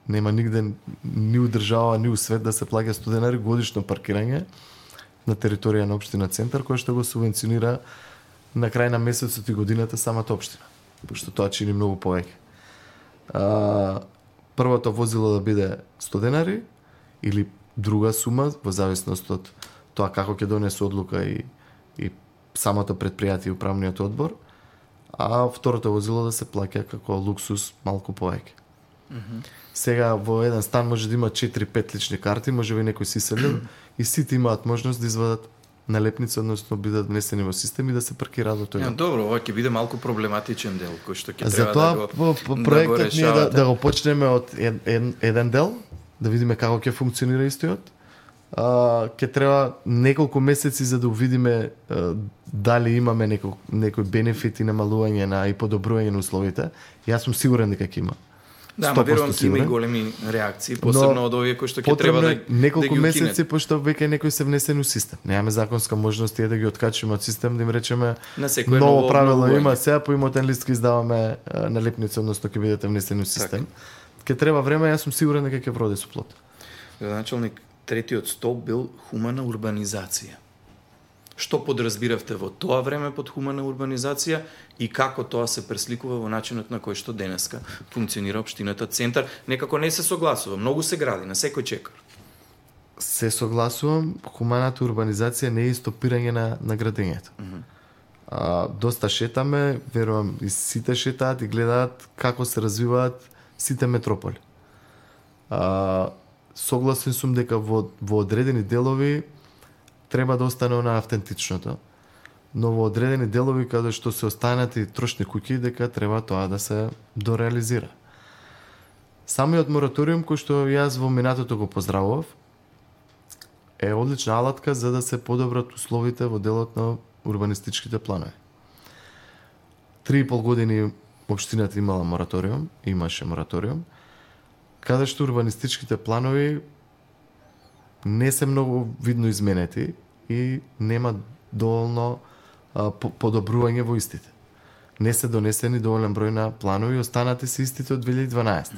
нема нигде ни у држава, ни у свет да се плаќа 100 денари годишно паркирање на територија на општина Центар, кој што го субвенционира на крај на месецот и годината самата општина, пошто тоа чини многу повеќе. Првото возило да биде 100 денари или друга сума во зависност од тоа како ќе донесе одлука и самото предпријатие и управниот одбор, а второто возило да се плаќа како луксус малку повеќе. Сега во еден стан може да има 4-5 лични карти, може би некој си иселил и сите имаат можност да извадат налепница, односно бидат внесени во систем и да се паркираат во тој.
Добро, ова ќе биде малку проблематичен дел кој што ќе треба
затоа,
да го
проектот ние да го почнеме од еден дел, да видиме како ќе функционира истојот. Ќе треба неколку месеци за да увидиме дали имаме некој бенефит и намалување и подобрување на условите. Јас сум сигурен дека ќе има.
Да, ма верувам ќе има и големи реакции, посебно од овие кои што ќе треба да
неколку
да
месеци, пошто веќе некој се внесен у систем. Немаме законска можност да ги откачиме од систем, да им речеме ново правило има, сега по имотен лист ќе издаваме налепница, односно ќе бидете внесени у систем. Ќе треба време, јас сум сигурен дека ќе вроди со плод.
Градоначалник, третиот столб бил хумана урбанизација. Што подразбиравте во тоа време под хумана урбанизација и како тоа се пресликува во начинот на кој што денеска функционира општината Центар? Некако не се согласува, многу се гради на секој чекор.
Се согласувам, хуманата урбанизација не е стопирање на градењето. Доста шетаме, верувам и сите шетаат и гледаат како се развиваат сите метрополи. Согласен сум дека во одредени делови треба да остане на автентичното, но во одредени делови каде што се останати трошни куќи, дека треба тоа да се дореализира. Самиот мораториум кој што јас во минатото го поздравував е одлична алатка за да се подобрат условите во делот на урбанистичките планови. 3,5 години општината имала мораториум, имаше мораториум, каде што урбанистичките планови не се многу видно изменети и нема доволно подобрување во истите. Не се донесени доволен број на планови, останати се истите од 2012.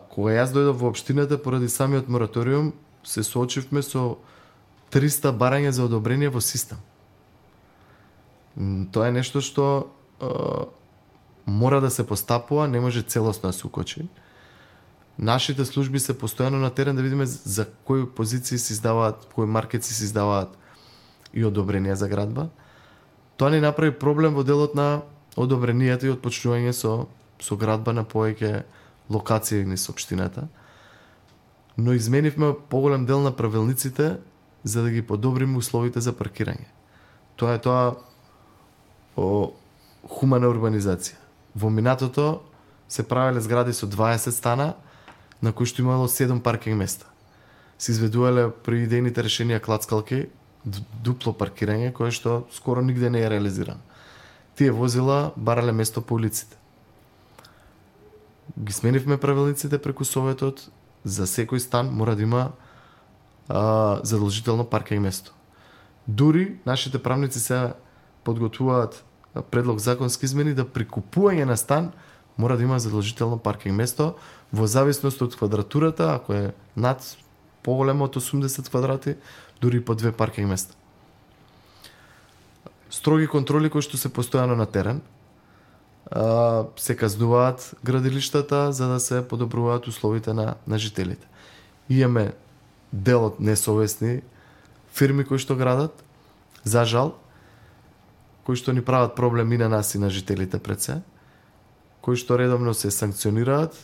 Кога јас дојдов во општината поради самиот мораториум, се соочивме со 300 барања за одобрение во систем. Тоа е нешто што мора да се постапува, не може целосно да се укочи. Нашите служби се постојано на терен да видиме за кои позиции се издаваат, кои маркети се издаваат и одобренија за градба. Тоа ни направи проблем во делот на одобренијата и отпочнување со градба на повеќе локации низ општината. Но изменивме поголем дел на правилниците за да ги подобриме условите за паркирање. Тоа е хумана урбанизација. Во минатото се правеле згради со 20 стана, на кои што имало 7 паркинг места. Се изведувале при идејните решенија клацкалки дупло паркирање, кое што скоро нигде не е реализирано. Тие возила барале место по улиците. Ги сменивме правилниците преку Советот, за секој стан мора да има задолжително паркинг место. Дури нашите правници се подготвуваат предлог законски измени да при купување на стан мора да има задолжително паркинг место во зависност од квадратурата, ако е над поголемо од 80 квадрати, дури по 2 паркинг места. Строги контроли кои што се постојано на терен. се казнуваат градилиштата за да се подобруваат условите на жителите. Имаме дел од несовесни фирми кои што градат, за жал, кои што ни прават проблем и на нас и на жителите пред се, кои што редовно се санкционираат,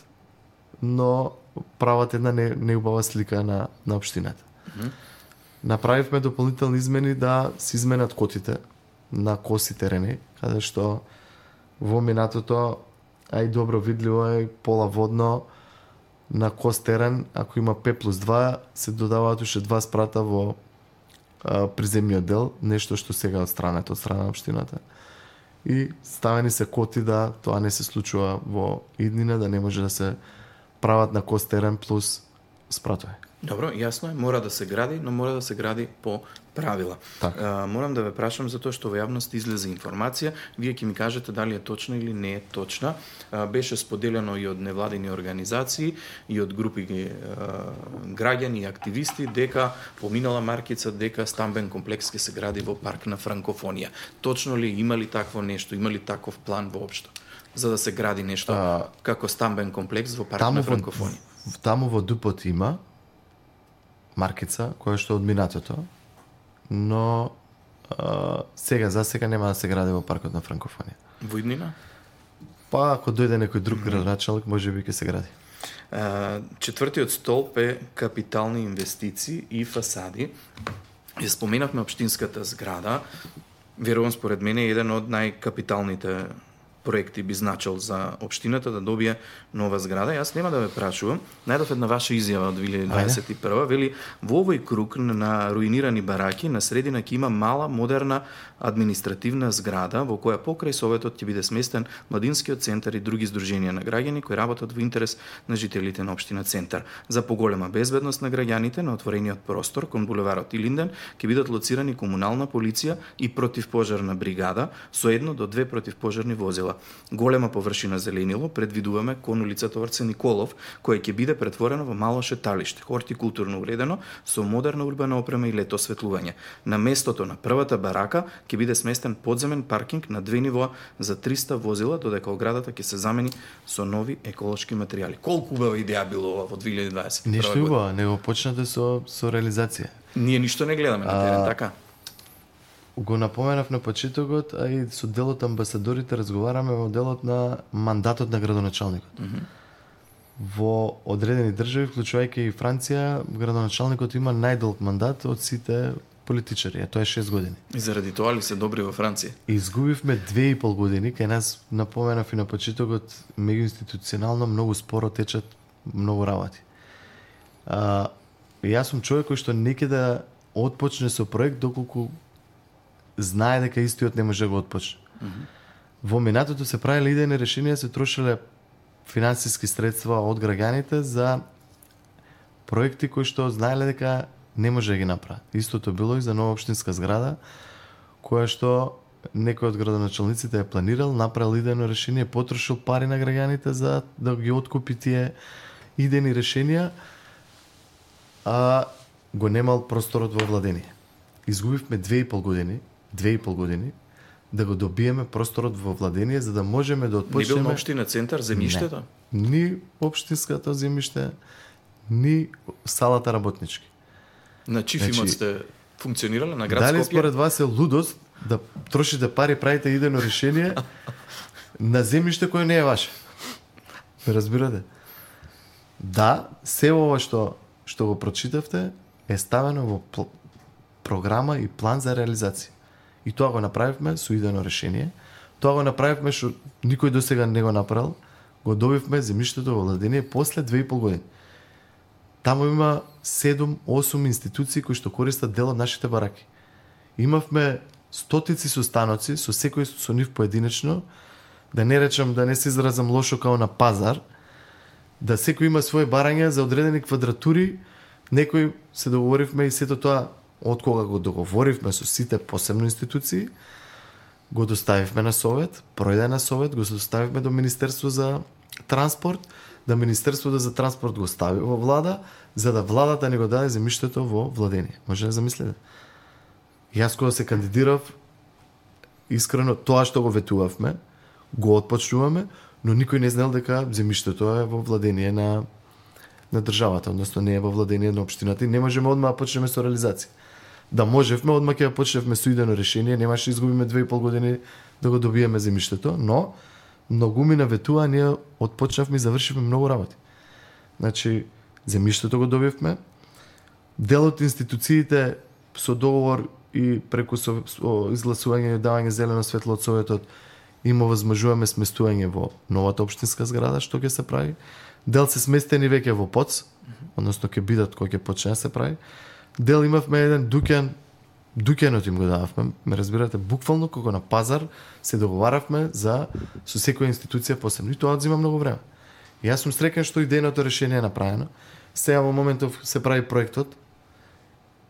но прават една неубава слика на општината. Направивме дополнителни измени да се изменат котите на коси терени, каде што во минатото, а и добро видливо е пола водно на кос терен, ако има 5+2, се додаваат уште 2 спрата во приземниот дел, нешто што сега од страна на општината. И ставени се коти да тоа не се случува во иднина, да не може да се прават на кос терен плюс спратови.
Добро, јасно е, мора да се гради, но мора да се гради по правила. Морам да ве прашам за тоа што во јавност излезе информација, вие ќе ми кажете дали е точна или не е точна. Беше споделено и од невладини организации и од групи граѓани и активисти дека поминала маркица дека стамбен комплекс ќе се гради во парк на франкофонија. Точно ли има ли такво нешто, има ли таков план воопшто за да се гради нешто како стамбен комплекс во парк на франкофонија?
Таму во Дупот има маркица која што од минатото, но за сега нема да се гради во паркот на франкофонија.
Во иднина?
Па ако дојде некој друг градоначалник, можеби ќе се гради.
Четвртиот столб е капитални инвестиции и фасади. Ја споменавме општинската зграда. Верувам, според мене е еден од најкапиталните проекти би значил за општината да добие нова зграда. Јас нема да ве прашувам. Најдов една ваша изјава од 2021. Вели, во овој круг на руинирани бараки на средина ќе има мала, модерна административна зграда во која покрај советот ќе биде сместен младинскиот центар и други здруженија на граѓани кои работат во интерес на жителите на општина Центар. За поголема безбедност на граѓаните на отворениот простор кон булеварот Илинден ќе бидат лоцирани комунална полиција и противпожарна бригада со 1 до 2 противпожарни возила. Голема површина зеленило предвидуваме кон улицата Орце Николов, која ќе биде претворено во мало шеталиште, хортикултурно уредено со модерна урбана опрема и лето осветлување. На местото на првата барака ќе биде сместен подземен паркинг на 2 нивоа за 300 возила, додека оградата ќе се замени со нови еколошки материјали. Колку убава идеја било ова во 2021 година?
Нешто убава, него почнате со реализација.
Ние ништо не гледаме на терен, така?
Го напоменав на почетокот, а и со делот амбасадорите разговараме во делот на мандатот на градоначалникот. Во одредени држави, вклучувајќи и Франција, градоначалникот има најдолг мандат од сите политичари, а тоа е 6 години.
И заради тоа ли се добри во Франција?
Изгубивме 2,5 години, кај нас напоменав и на почетокот, меѓуинституционално многу споро течат многу работи. Јас сум човек кој што не ќе да отпочне со проект доколку знае дека истиот не може да го отпочне. Во минатото се правеле идејни решенија, се трошеле финансиски средства од граѓаните за проекти кои што знаеле дека не може да ги направат. Истото било и за нова општинска зграда, која што некој од градоначалниците е планирал, направил идејно решение, потрошил пари на граѓаните за да ги откупи тие идејни решенија, а го немал просторот во владение. Изгубивме 2,5 години да го добиеме просторот во владение за да можеме да отпочнеме.
Не бил на општина Центар земјиштето?
Ни општинското земјиште, ни салата работнички.
На чиф имот сте функционирале на град Скопје?
Дали според вас е лудост да трошите пари, правите идејно решение на земјиште кој не е ваше? Разбирате? Да, се ова што го прочитавте е ставено во програма и план за реализација. И тоа го направивме со идејно решение. Тоа го направивме што никој досега не го направил. Го добивме земјиштето во владение после 2,5 години. Таму има 7-8 институции кои што користат дел од нашите бараки. Имавме стотици состаноци со секој со нив поединечно, да не речам, да не се изразам лошо као на пазар, да секој има своје барања за одредени квадратури, некој се договоривме и сето тоа од кога го договоривме со сите посебно институции, го доставивме на совет, пројде на совет, го доставивме до Министерство за транспорт, да Министерството за транспорт го стави во влада, за да владата не го даде земјиштето во владение. Може да замислите? Јас кога се кандидирав, искрено тоа што го ветувавме, го отпочнуваме, но никој не знал дека земјиштето е во владение на државата, односно не е во владение на општината и не можеме одма да почнеме со реализација. Да можевме, одма ќе почневме со идено решение, немаше изгубиме 2,5 години да го добиеме земјиштето, но многуми наветува, ние отпочнавме и завршивме многу работи. Значи, земјиштето го добивме, дел од институциите со договор и преку изгласување и давање зелено светло од Советот им овозможуваме сместување во новата општинска зграда, што ќе се прави. Дел се сместени веќе во ПОЦ, односно ќе бидат кој ќе почне да се прави. Дел имавме еден дуќанот им го дававме, ме разбирате, буквално како на пазар се договаравме со секоја институција посебно. И тоа одзема многу време. И јас сум среќен што идејното решение е направено. Сега во моментов се прави проектот.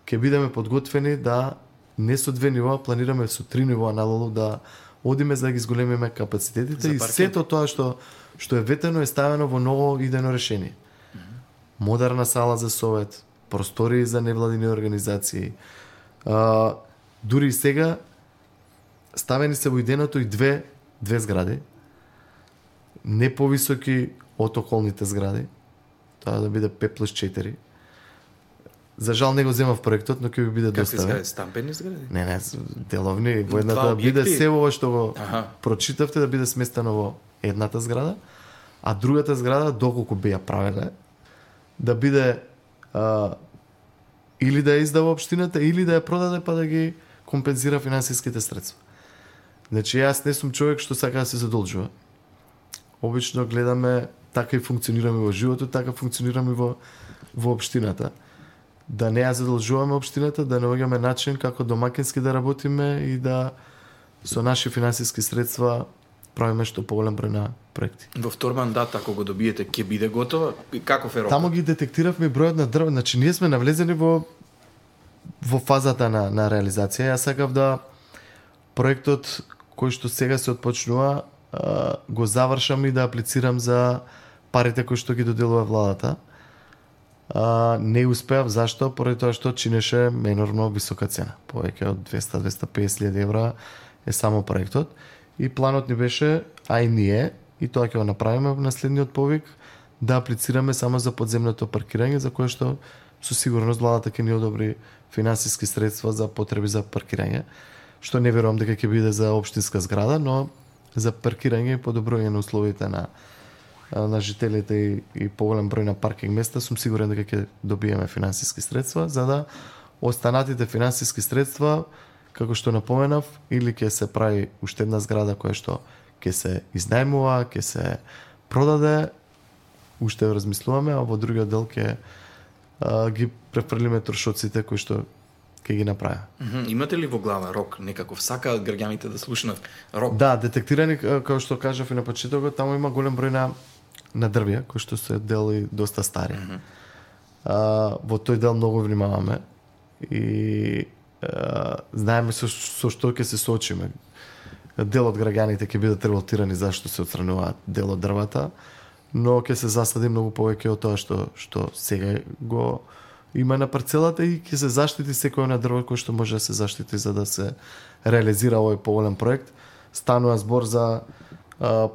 Ќе бидеме подготвени да не со 2 нива, планираме со 3 нива надолу да одиме за да ги зголемиме капацитетите и сето тоа што е ветено е ставено во ново идено решение. Модерна сала за совет, простори за невладини организации. Дури и сега ставени се во иденото и две згради, не повисоки од околните згради, тоа да биде 5+4. За жал не го земав проектот, но ќе ви биде доставен.
Какви згради? Стампени згради?
Не, деловни. Во едната да биде се ова што го прочитавте да биде сместено во едната зграда, а другата зграда, доколку би ја правеле, да биде или да ја издава општината, или да ја продаде па да ги компензира финансиските средства. Значи, јас не сум човек што сака да се задолжува. Обично гледаме, така и функционираме во животот, така функционираме во општината. Да не ја задолжуваме општината, да наоѓаме начин како домакински да работиме и да со наши финансиски средства правиме што поголем број на проекти.
Во втор мандат, ако го добиете, ќе биде готова? Каков е рокот?
Тамо ги детектиравме бројот на дрва. Значи, ние сме навлезени во фазата на реализација. Јас сакав да проектот кој што сега се отпочнува го завршам и да аплицирам за парите кои што ги доделува владата. Не успеав, зашто? Поради тоа што чинеше енормно висока цена. Повеќе од 200-250 евра е само проектот. И планот ни беше, а и ние, и тоа ќе го направиме на следниот повик, да аплицираме само за подземното паркирање, за кое што со сигурност владата ќе ни одобри финансиски средства за потреби за паркирање, што не верувам дека ќе биде за општинска зграда, но за паркирање и подобрување на условите на жителите и поголем број на паркинг места, сум сигурен дека ќе добиеме финансиски средства, за да останатите финансиски средства, како што напоменав, или ќе се прави уште една зграда која што ќе се изнајмува, ќе се продаде, уште размислуваме, а во другиот дел ќе ги префрлиме трошоците кои што ќе ги направи.
Имате ли во глава рок некаков? Сакаат граѓаните да слушнат рок?
Да, детектирани, како што кажав и на почетокот, таму има голем број на дрвја, кои што се дели доста стари. Во тој дел многу внимаваме и знаеме со што ќе се соочиме. Дел од граѓаните ќе бидат револтирани зашто се отстрануваат дел од дрвата, но ќе се засади многу повеќе од тоа што сега го има на парцелата и ќе се заштити секој на дрво кој што може да се заштити за да се реализира овој поголем проект. Станува збор за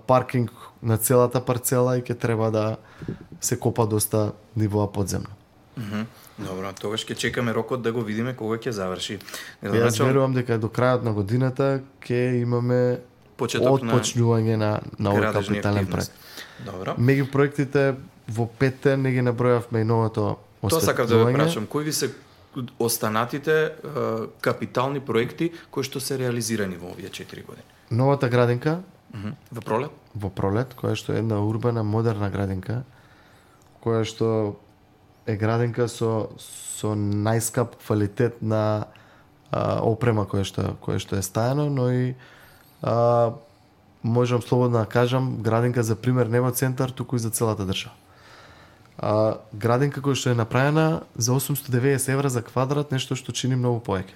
паркинг на целата парцела и ќе треба да се копа доста нивоа подземно.
Добро, тогаш ќе чекаме рокот да го видиме кога ќе заврши.
Јас верувам дека до крајот на годината ќе имаме отпочнување на овој капитален проект.
Добро.
Меѓу проектите во 5 не ги набројавме и новото осветлување.
Тоа сакав да ве прашам, кои ви се останатите капитални проекти кои што се реализирани во овие 4 години?
Новата градинка
во Пролет?
Во Пролет, која што е една урбана модерна градинка, која што е градинка со најскап квалитет на опрема која што е стајано, но и можам слободно да кажам градинка за пример не во центар, туку и за целата држава. Градинка која што е направена за 890 евра за квадрат, нешто што чини многу повеќе.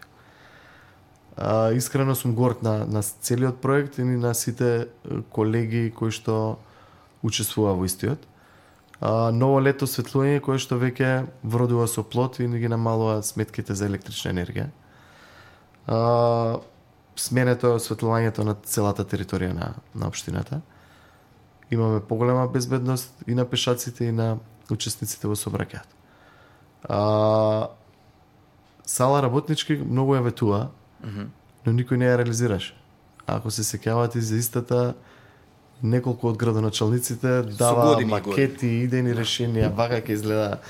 Искрено сум горд на целиот проект и на сите колеги кои што учествува во истиот. Ново лето осветлување кое што веќе вродува со плод и не ги намалува сметките за електрична енергија. сменето е осветлувањето на целата територија на општината. Имаме поголема безбедност и на пешаците и на учесниците во сообраќајот. Сала работнички многу ја ветува, но никој не ја реализираше. Ако се сеќавате за истата, неколку од градоначалниците дава макети, идејни решенија, вака ќе изгледа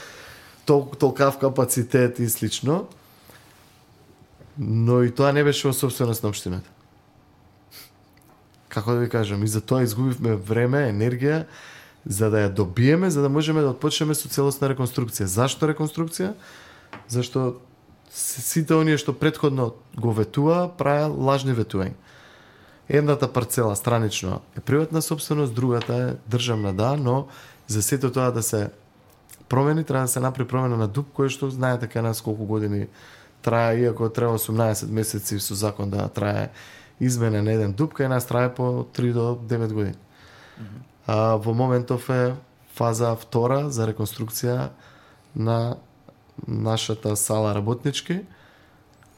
толкав капацитет и слично, но и тоа не беше во собственост на општината. Како да ви кажам, и за тоа изгубивме време, енергија, за да ја добиеме, за да можеме да отпочнеме со целосна реконструкција. Зашто реконструкција? Зашто сите оние што претходно го ветува, правеа лажни ветувања. Едната парцела странично е приватна собственост, другата е државна, да, но за сето тоа да се промени, треба да се направи промена на ДУП, кој што знаете кај нас колку години трае, иако треба 18 месеци со закон да трае измена на еден ДУП, кај нас трае по 3 до 9 години. Во моментов е фаза втора за реконструкција на нашата сала работнички,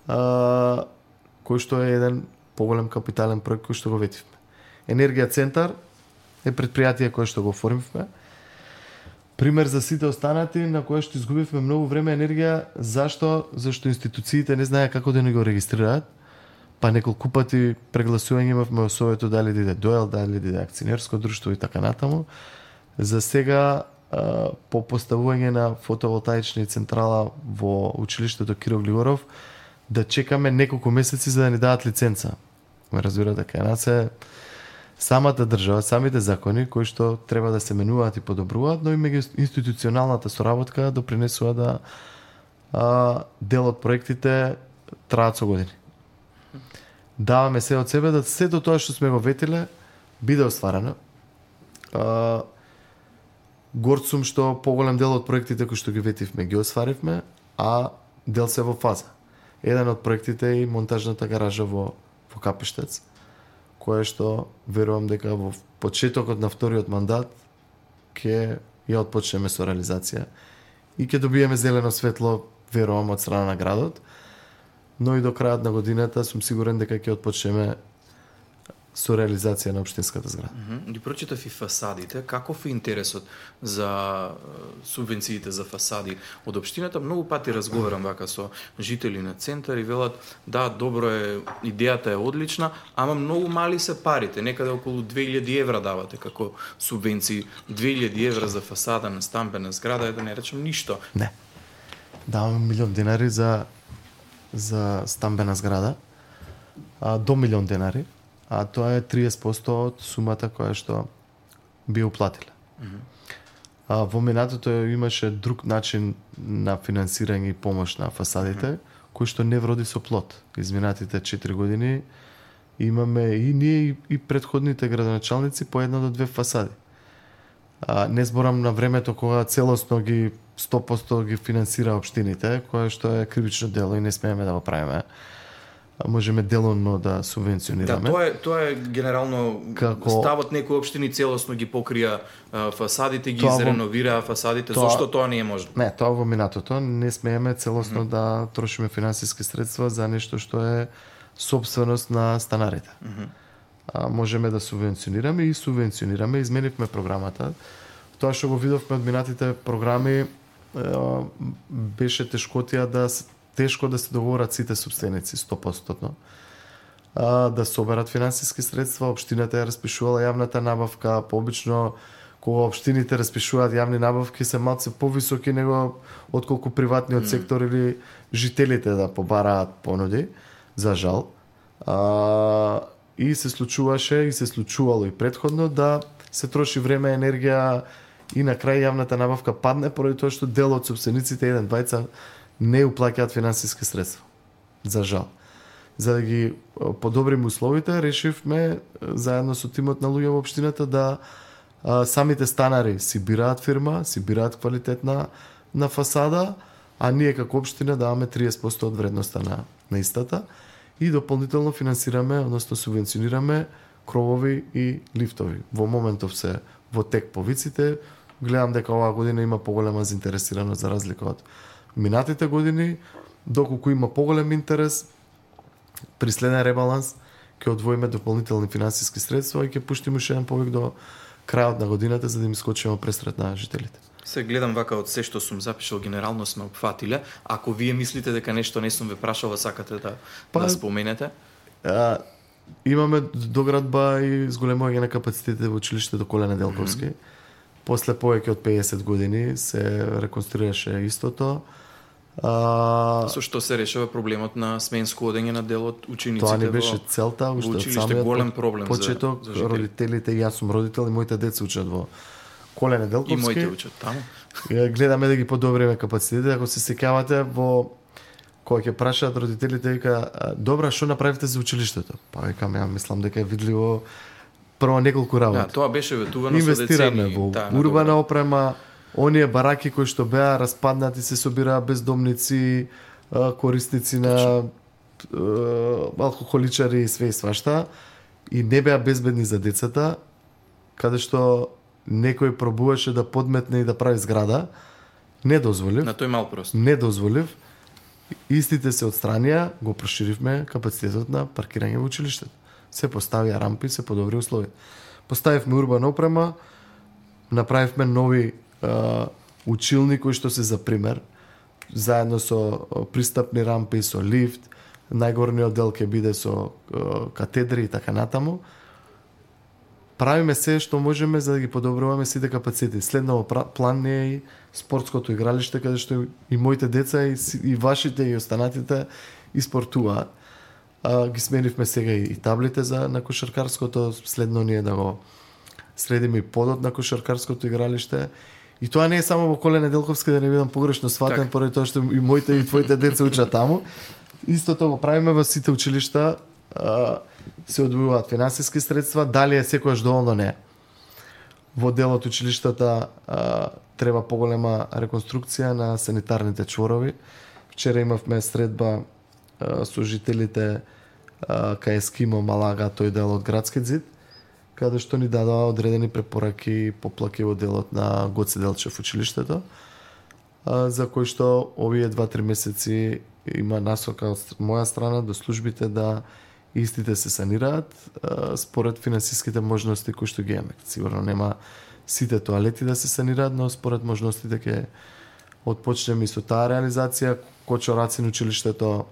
кој што е еден поголем капитален проект кој што го ветивме. Енергија центар е предпријатие кое што го оформивме. Пример за сите останати на кое што изгубивме многу време и енергија. Зашто? Зашто институциите не знаеа како да ни го регистрираат. Па неколку пати прегласување имавме во советот дали да иде ДОЕЛ, дали да иде акционерско друштво и така натаму. За сега по поставување на фотоволтаични централа во училиштето Киро Глигоров да чекаме неколку месеци за да ни дадат лиценца. Ме разбирате, кај нас е самата држава, самите закони кои што треба да се менуваат и подобруваат, но и меѓуинституционалната соработка допринесува да дел од проектите траат со години. Даваме се од себе да сето тоа што сме го ветиле биде остварено. Горд сум што поголем дел од проектите кои што ги ветивме ги остваривме, а дел се во фаза. Еден од проектите е и монтажната гаража во Капиштец, кое што верувам дека во почетокот на вториот мандат ќе ја отпочнеме со реализација и ќе добиеме зелено светло, верувам, од страна на градот, но и до крајот на годината сум сигурен дека ќе отпочнеме со реализација на општинската зграда.
Ги прочитав и фасадите. Каков е интересот за субвенциите за фасади од општината? Многу пати разговарам вака со жители на центар и велат, да, добро е, идејата е одлична, ама многу мали се парите. Некаде околу 2000 евра давате како субвенции. 2000 евра за фасада на стамбена зграда е, да не речем, ништо.
Не. Даваме 1 милион денари за стамбена зграда, до 1 милион денари, а тоа е 30% од сумата која што би уплатиле. Во минатото имаше друг начин на финансирање и помош на фасадите, кој што не вроди со плод. Изминатите 4 години имаме и ние и претходните градоначалници по 1 до 2 фасади. Не зборам на времето кога целосно ги 100% ги финансира општините, кое што е кривично дело и не смееме да го правиме. Можеме делонно да субвенционираме.
Да, тоа е генерално ставот, некои општини целосно ги покрија фасадите, ги изреновираа фасадите. Зошто тоа не е можно?
Не, тоа во минатото не смееме целосно да трошиме финансиски средства за нешто што е собственост на станарите. Можеме да субвенционираме и субвенционираме, изменивме програмата. Тоа што го видовме од минатите програми беше тешко да се договорат сите собственици 100%. Да соберат финансиски средства, општината ја распишувала јавната набавка, пообично кога општините распишуваат јавни набавки се малце повисоки него отколку приватниот сектор или жителите да побараат понуди, за жал. И се случуваше и се случувало и претходно да се троши време, енергија и на крај јавната набавка падне поради тоа што дел од собствениците еден двајца не уплаќаат финансиски средства. За жал. За да ги подобриме условите, решивме заедно со тимот на луѓе во општината да самите станари си бираат фирма, си бираат квалитетна на фасада, а ние како општина даваме 30% од вредноста на истата и дополнително финансираме, односно субвенционираме кровови и лифтови. Во моментов се во тек повиците. Гледам дека оваа година има поголема заинтересираност за разлика од минатите години, доколку има поголем интерес, при следен ребаланс ќе одвоиме дополнителни финансиски средства и ќе пуштиме уште еден повик до крајот на годината за да им скочиме пресред на жителите.
Се гледам вака од се што сум запишал, генерално сме опфатиле. Ако вие мислите дека нешто не сум ве прашала, сакате да споменете?
Имаме доградба и зголемување на капацитетите во училиштето Коле Неделковски. После повеќе од 50 години се реконструираше истото.
Со што се решава проблемот на сменско одење на дел од учениците?
Тоа не беше целта, уште од самиот
голем проблем
почеток,
за
родителите, јас сум родител и моите деца учат во Коле Неделковски.
И моите учат таму.
Гледаме да ги подобриме капацитетите. Ако се сеќавате во кога ќе прашаат родителите, вика, добра, што направивте за училиштето? Па викам, ја мислам дека е видливо прво неколку работи.
Тоа беше ветувано
со децени. Инвестираме во урбана опрема, оние бараки кои што беа распаднати, се собираа бездомници, корисници на алкохоличари и све и свашта, и не беа безбедни за децата, каде што некој пробуваше да подметне и да прави зграда. Не дозволив.
На тој мал прост.
Не дозволив. Истите се отстранија, го проширивме капацитетот на паркирање во училиштето. Се поставија рампи, се подобри услови. Поставивме урбана опрема, направивме нови училни кои што се за пример, заедно со пристапни рампи, со лифт, најгорниот дел ќе биде со катедри и така натаму. Правиме се што можеме за да ги подобруваме сите капацитети. Следно план не е и спортското игралиште, каде што и моите деца и вашите и останатите и спортуваат. Ги сменивме сега и таблите на кошаркарското, следно ние да го средиме и подот на кошаркарското игралиште. И тоа не е само во Коле Неделковски, да не бидам погрешно сватен, поради тоа што и моите и твоите деца учат таму. Истото го правиме во сите училишта, се одвојуваат финансиски средства, дали е секојаш доволно не. Во дел од училиштата треба поголема реконструкција на санитарните чворови. Вчера имавме средба со жителите кај Ескимо, Малага, тој дел од градскиот зид, каде што ни дадоа одредени препораки поплаки во делот на Гоце Делчев училиштето, за кој што овие 2-3 месеци има насока од моја страна до службите да истите се санираат според финансиските можности кои што ги имаме. Сигурно нема сите тоалети да се санираат, но според можностите ќе отпочнеме и со таа реализација. Кочорацин училиштето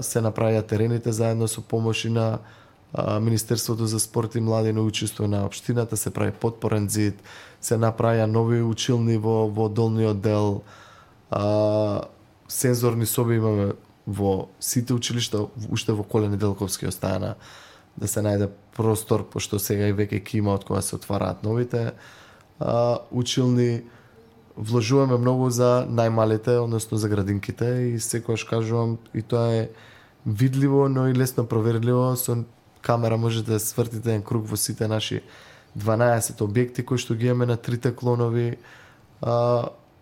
се направија терените заедно со помош и на Министерството за спорт и млади, на учество на општината, се прави подпорен зид, се направија нови училни во долниот дел, сензорни соби имаме во сите училишта, уште во Коле Неделковски остана да се најде простор, пошто сега и веќе ќе има од кога се отвараат новите училни. Вложуваме многу за најмалите, односно за градинките, и секогаш кажувам, и тоа е видливо, но и лесно проверливо. Со камера можете да свртите еден круг во сите наши 12 објекти кои што ги имаме на трите клонови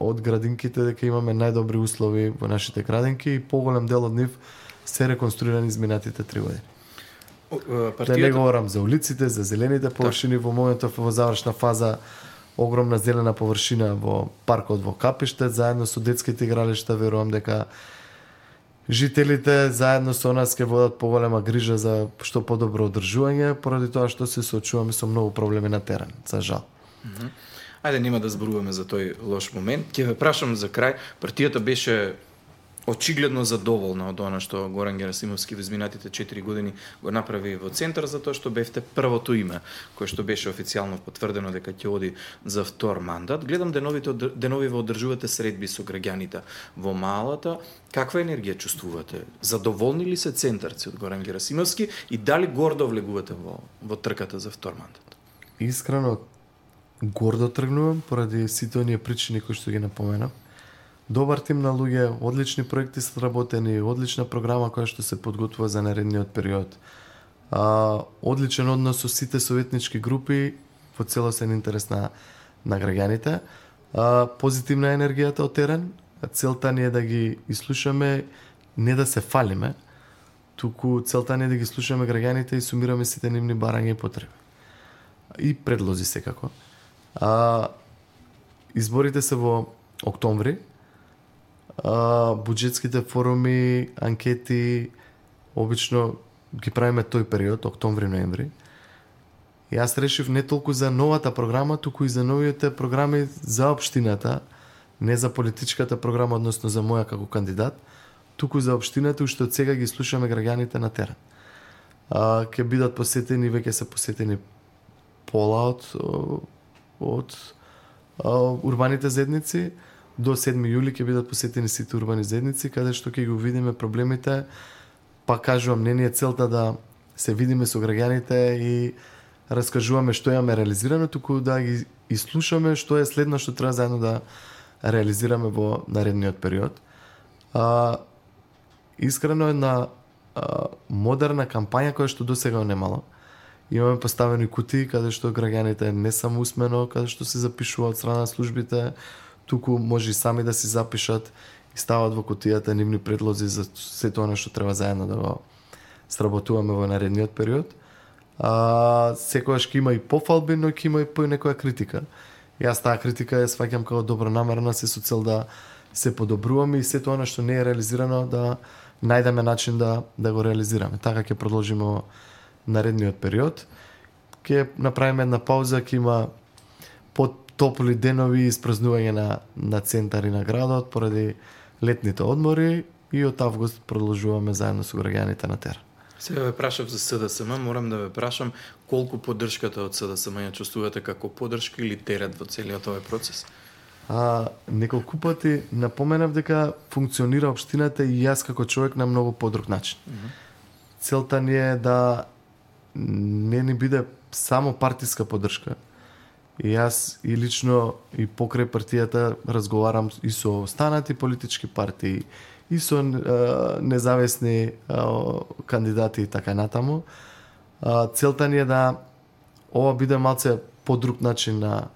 од градинките, дека имаме најдобри услови во нашите градинки и поголем дел од нив се реконструирани изминатите 3 години. Да не говорам за улиците, за зелените површини, во моментов во завршна фаза огромна зелена површина во паркот во Капиштет, заедно со детските игралишта. Верувам дека жителите заедно со нас ќе водат поголема грижа за што подобро одржување, поради тоа што се соочуваме со многу проблеми на терен, за жал.
Ајде, нема да зборуваме за тој лош момент. Ќе ве прашам за крај, партијата беше очигледно задоволна од она што Горан Герасимовски во изминатите 4 години го направи во центар, за тоа што бевте првото име кое што беше официјално потврдено дека ќе оди за втор мандат. Гледам денови во одржувате средби со граѓаните во Малата. Каква енергија чувствувате? Задоволни ли се центарци од Горан Герасимовски и дали гордо влегувате во трката за втор мандат?
Искрено гордо тргнувам поради сите оние причини кои што ги напоменав. Добар тим на луѓе, одлични проекти се работени, одлична програма која што се подготвува за наредниот период. Одличен однос со сите советнички групи во целосен интерес на граѓаните. Позитивна енергијата од терен. Целта ни е да ги изслушаме, не да се фалиме, туку целта ни е да ги слушаме граѓаните и сумираме сите нивни барања и потреби. И предлози секако. Изборите се во октомври. Буџетските форуми, анкети обично ги правиме тој период, октомври-ноември. И јас решив не толку за новата програма, туку и за новите програми за општината, не за политичката програма, односно за моја како кандидат, туку за општината, уште од сега ги слушаме граѓаните на терен. Ќе бидат посетени, веќе се посетени пола од урбаните заедници. До 7 јули ќе бидат посетени сите урбани заедници, каде што ќе ги видиме проблемите. Па кажувам, не ни е целта да се видиме со граѓаните и раскажуваме што имаме реализирано, туку да ги изслушаме што е следно што треба заедно да реализираме во наредниот период. Искрено една модерна кампања која што досега немало. Имаме поставени кутии каде што граѓаните не само усмено, каде што се запишуваат од страна на службите, туку може и сами да си запишат и стават во кутијата нивни предлози за сето она што треба заедно да го сработуваме во наредниот период. Секогаш ќе има и пофалби, но ќе има и по некоја критика. Јас таа критика ја сваќам како добронамерна, се со цел да се подобруваме и сето она што не е реализирано да најдеме начин да го реализираме. Така ќе продолжиме во наредниот период. Ќе направиме една пауза, ќе има потопли денови и испразнување на центар и на градот поради летните одмори и од август продолжуваме заедно со граѓаните на терен.
Сега ве прашав за СДСМ, морам да ве прашам колку поддршката од СДСМ ја чувствувате како поддршка или терет во целиот овој процес?
Неколку пати напоменав дека функционира општината и јас како човек на многу подруг начин. Целта ни е да не ни биде само партиска поддршка. И јас и лично и покрај партијата разговарам и со останати политички партии, и со независни кандидати и така натаму. Целта ни е да ова биде малце подруг начин на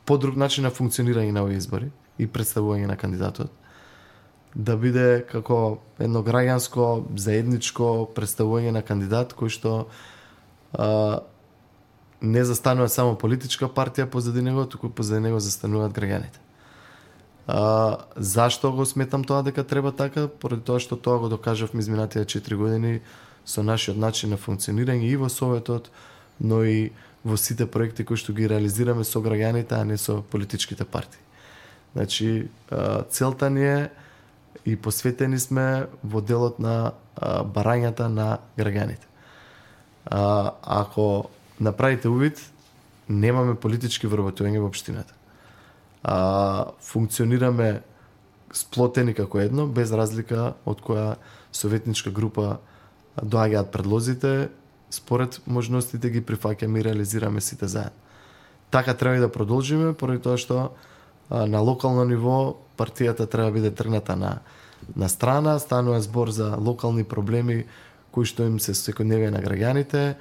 функционирање на овие избори и представување на кандидатот. Да биде како едно граѓанско, заедничко представување на кандидат кој што не застанува само политичка партија позади него, туку позади него застануваат граѓаните. Зашто го сметам тоа дека треба така? Поради тоа што тоа го докажавме изминатите 4 години со нашиот начин на функционирање и во Советот, но и во сите проекти кои што ги реализираме со граѓаните, а не со политичките партии. Значи, целта ни е и посветени сме во делот на барањата на граѓаните. Ако направите увид, немаме политички вработување во општината. Функционираме сплотени како едно, без разлика од која советничка група доаѓаат предлозите, според можностите ги прифаќаме и реализираме сите заедно. Така треба и да продолжиме, поради тоа што на локално ниво партијата треба да биде тргната на страна, станува збор за локални проблеми кои што им се секојдневие на граѓаните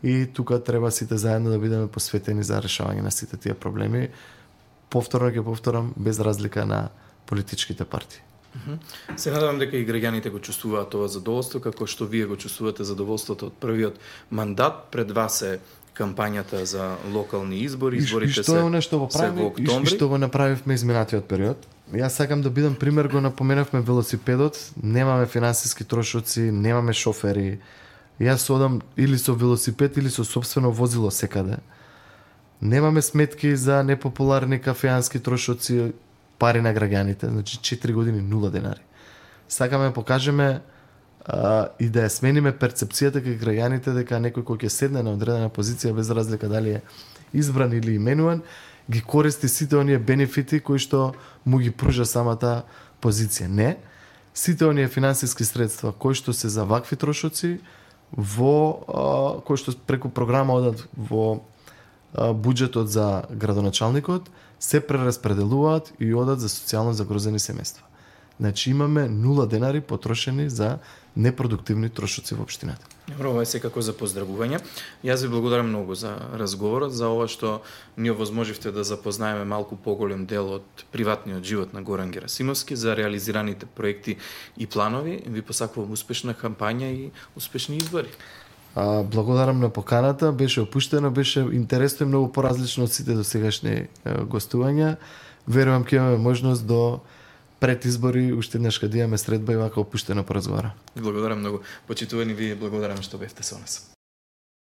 и тука треба сите заедно да бидеме посветени за решавање на сите тие проблеми. Повторно ќе повторам, без разлика на политичките партии.
Се надевам дека и граѓаните го чувствуваат това задоволство, како што вие го чувствувате задоволството од првиот мандат. Пред вас е кампањата за локални избори, изборите се во октомври.
И што го направивме изминатиот период. Јас сакам да бидам пример, го напоменавме велосипедот, немаме финансиски трошоци, немаме шофери. Јас одам или со велосипед или со сопствено возило секаде. Немаме сметки за непопуларни кафеански трошоци, пари на граѓаните, значи 4 години 0 денари. Сакаме да покажеме и да ја смениме перцепцијата кај граѓаните дека некој кој ќе седне на одредена позиција без разлика дали е избран или именуван, ги користи сите оние бенефити кои што му ги пружа самата позиција. Не, сите оние финансиски средства кои што се за вакви трошоци кои што преку програма одат во буџетот за градоначалникот се прераспределуваат и одат за социјално загрозени семејства. Значи имаме 0 денари потрошени за непродуктивни трошоци во општината.
Добро, ова е секако за поздравување. Јас ви благодарам многу за разговорот, за ова што ни овозможивте да запознаеме малку поголем дел од приватниот живот на Горан Герасимовски, за реализираните проекти и планови. Ви посакувам успешна кампања и успешни избори.
Благодарам на поканата, беше опуштено, беше интересно и многу поразлично од сите досегашни гостувања. Верувам ќе имаме можност до пред избори уште еднаш кога имаме средба и вака опуштено поразговара.
Благодарам многу. Почитувани ви, благодарам што бевте со нас.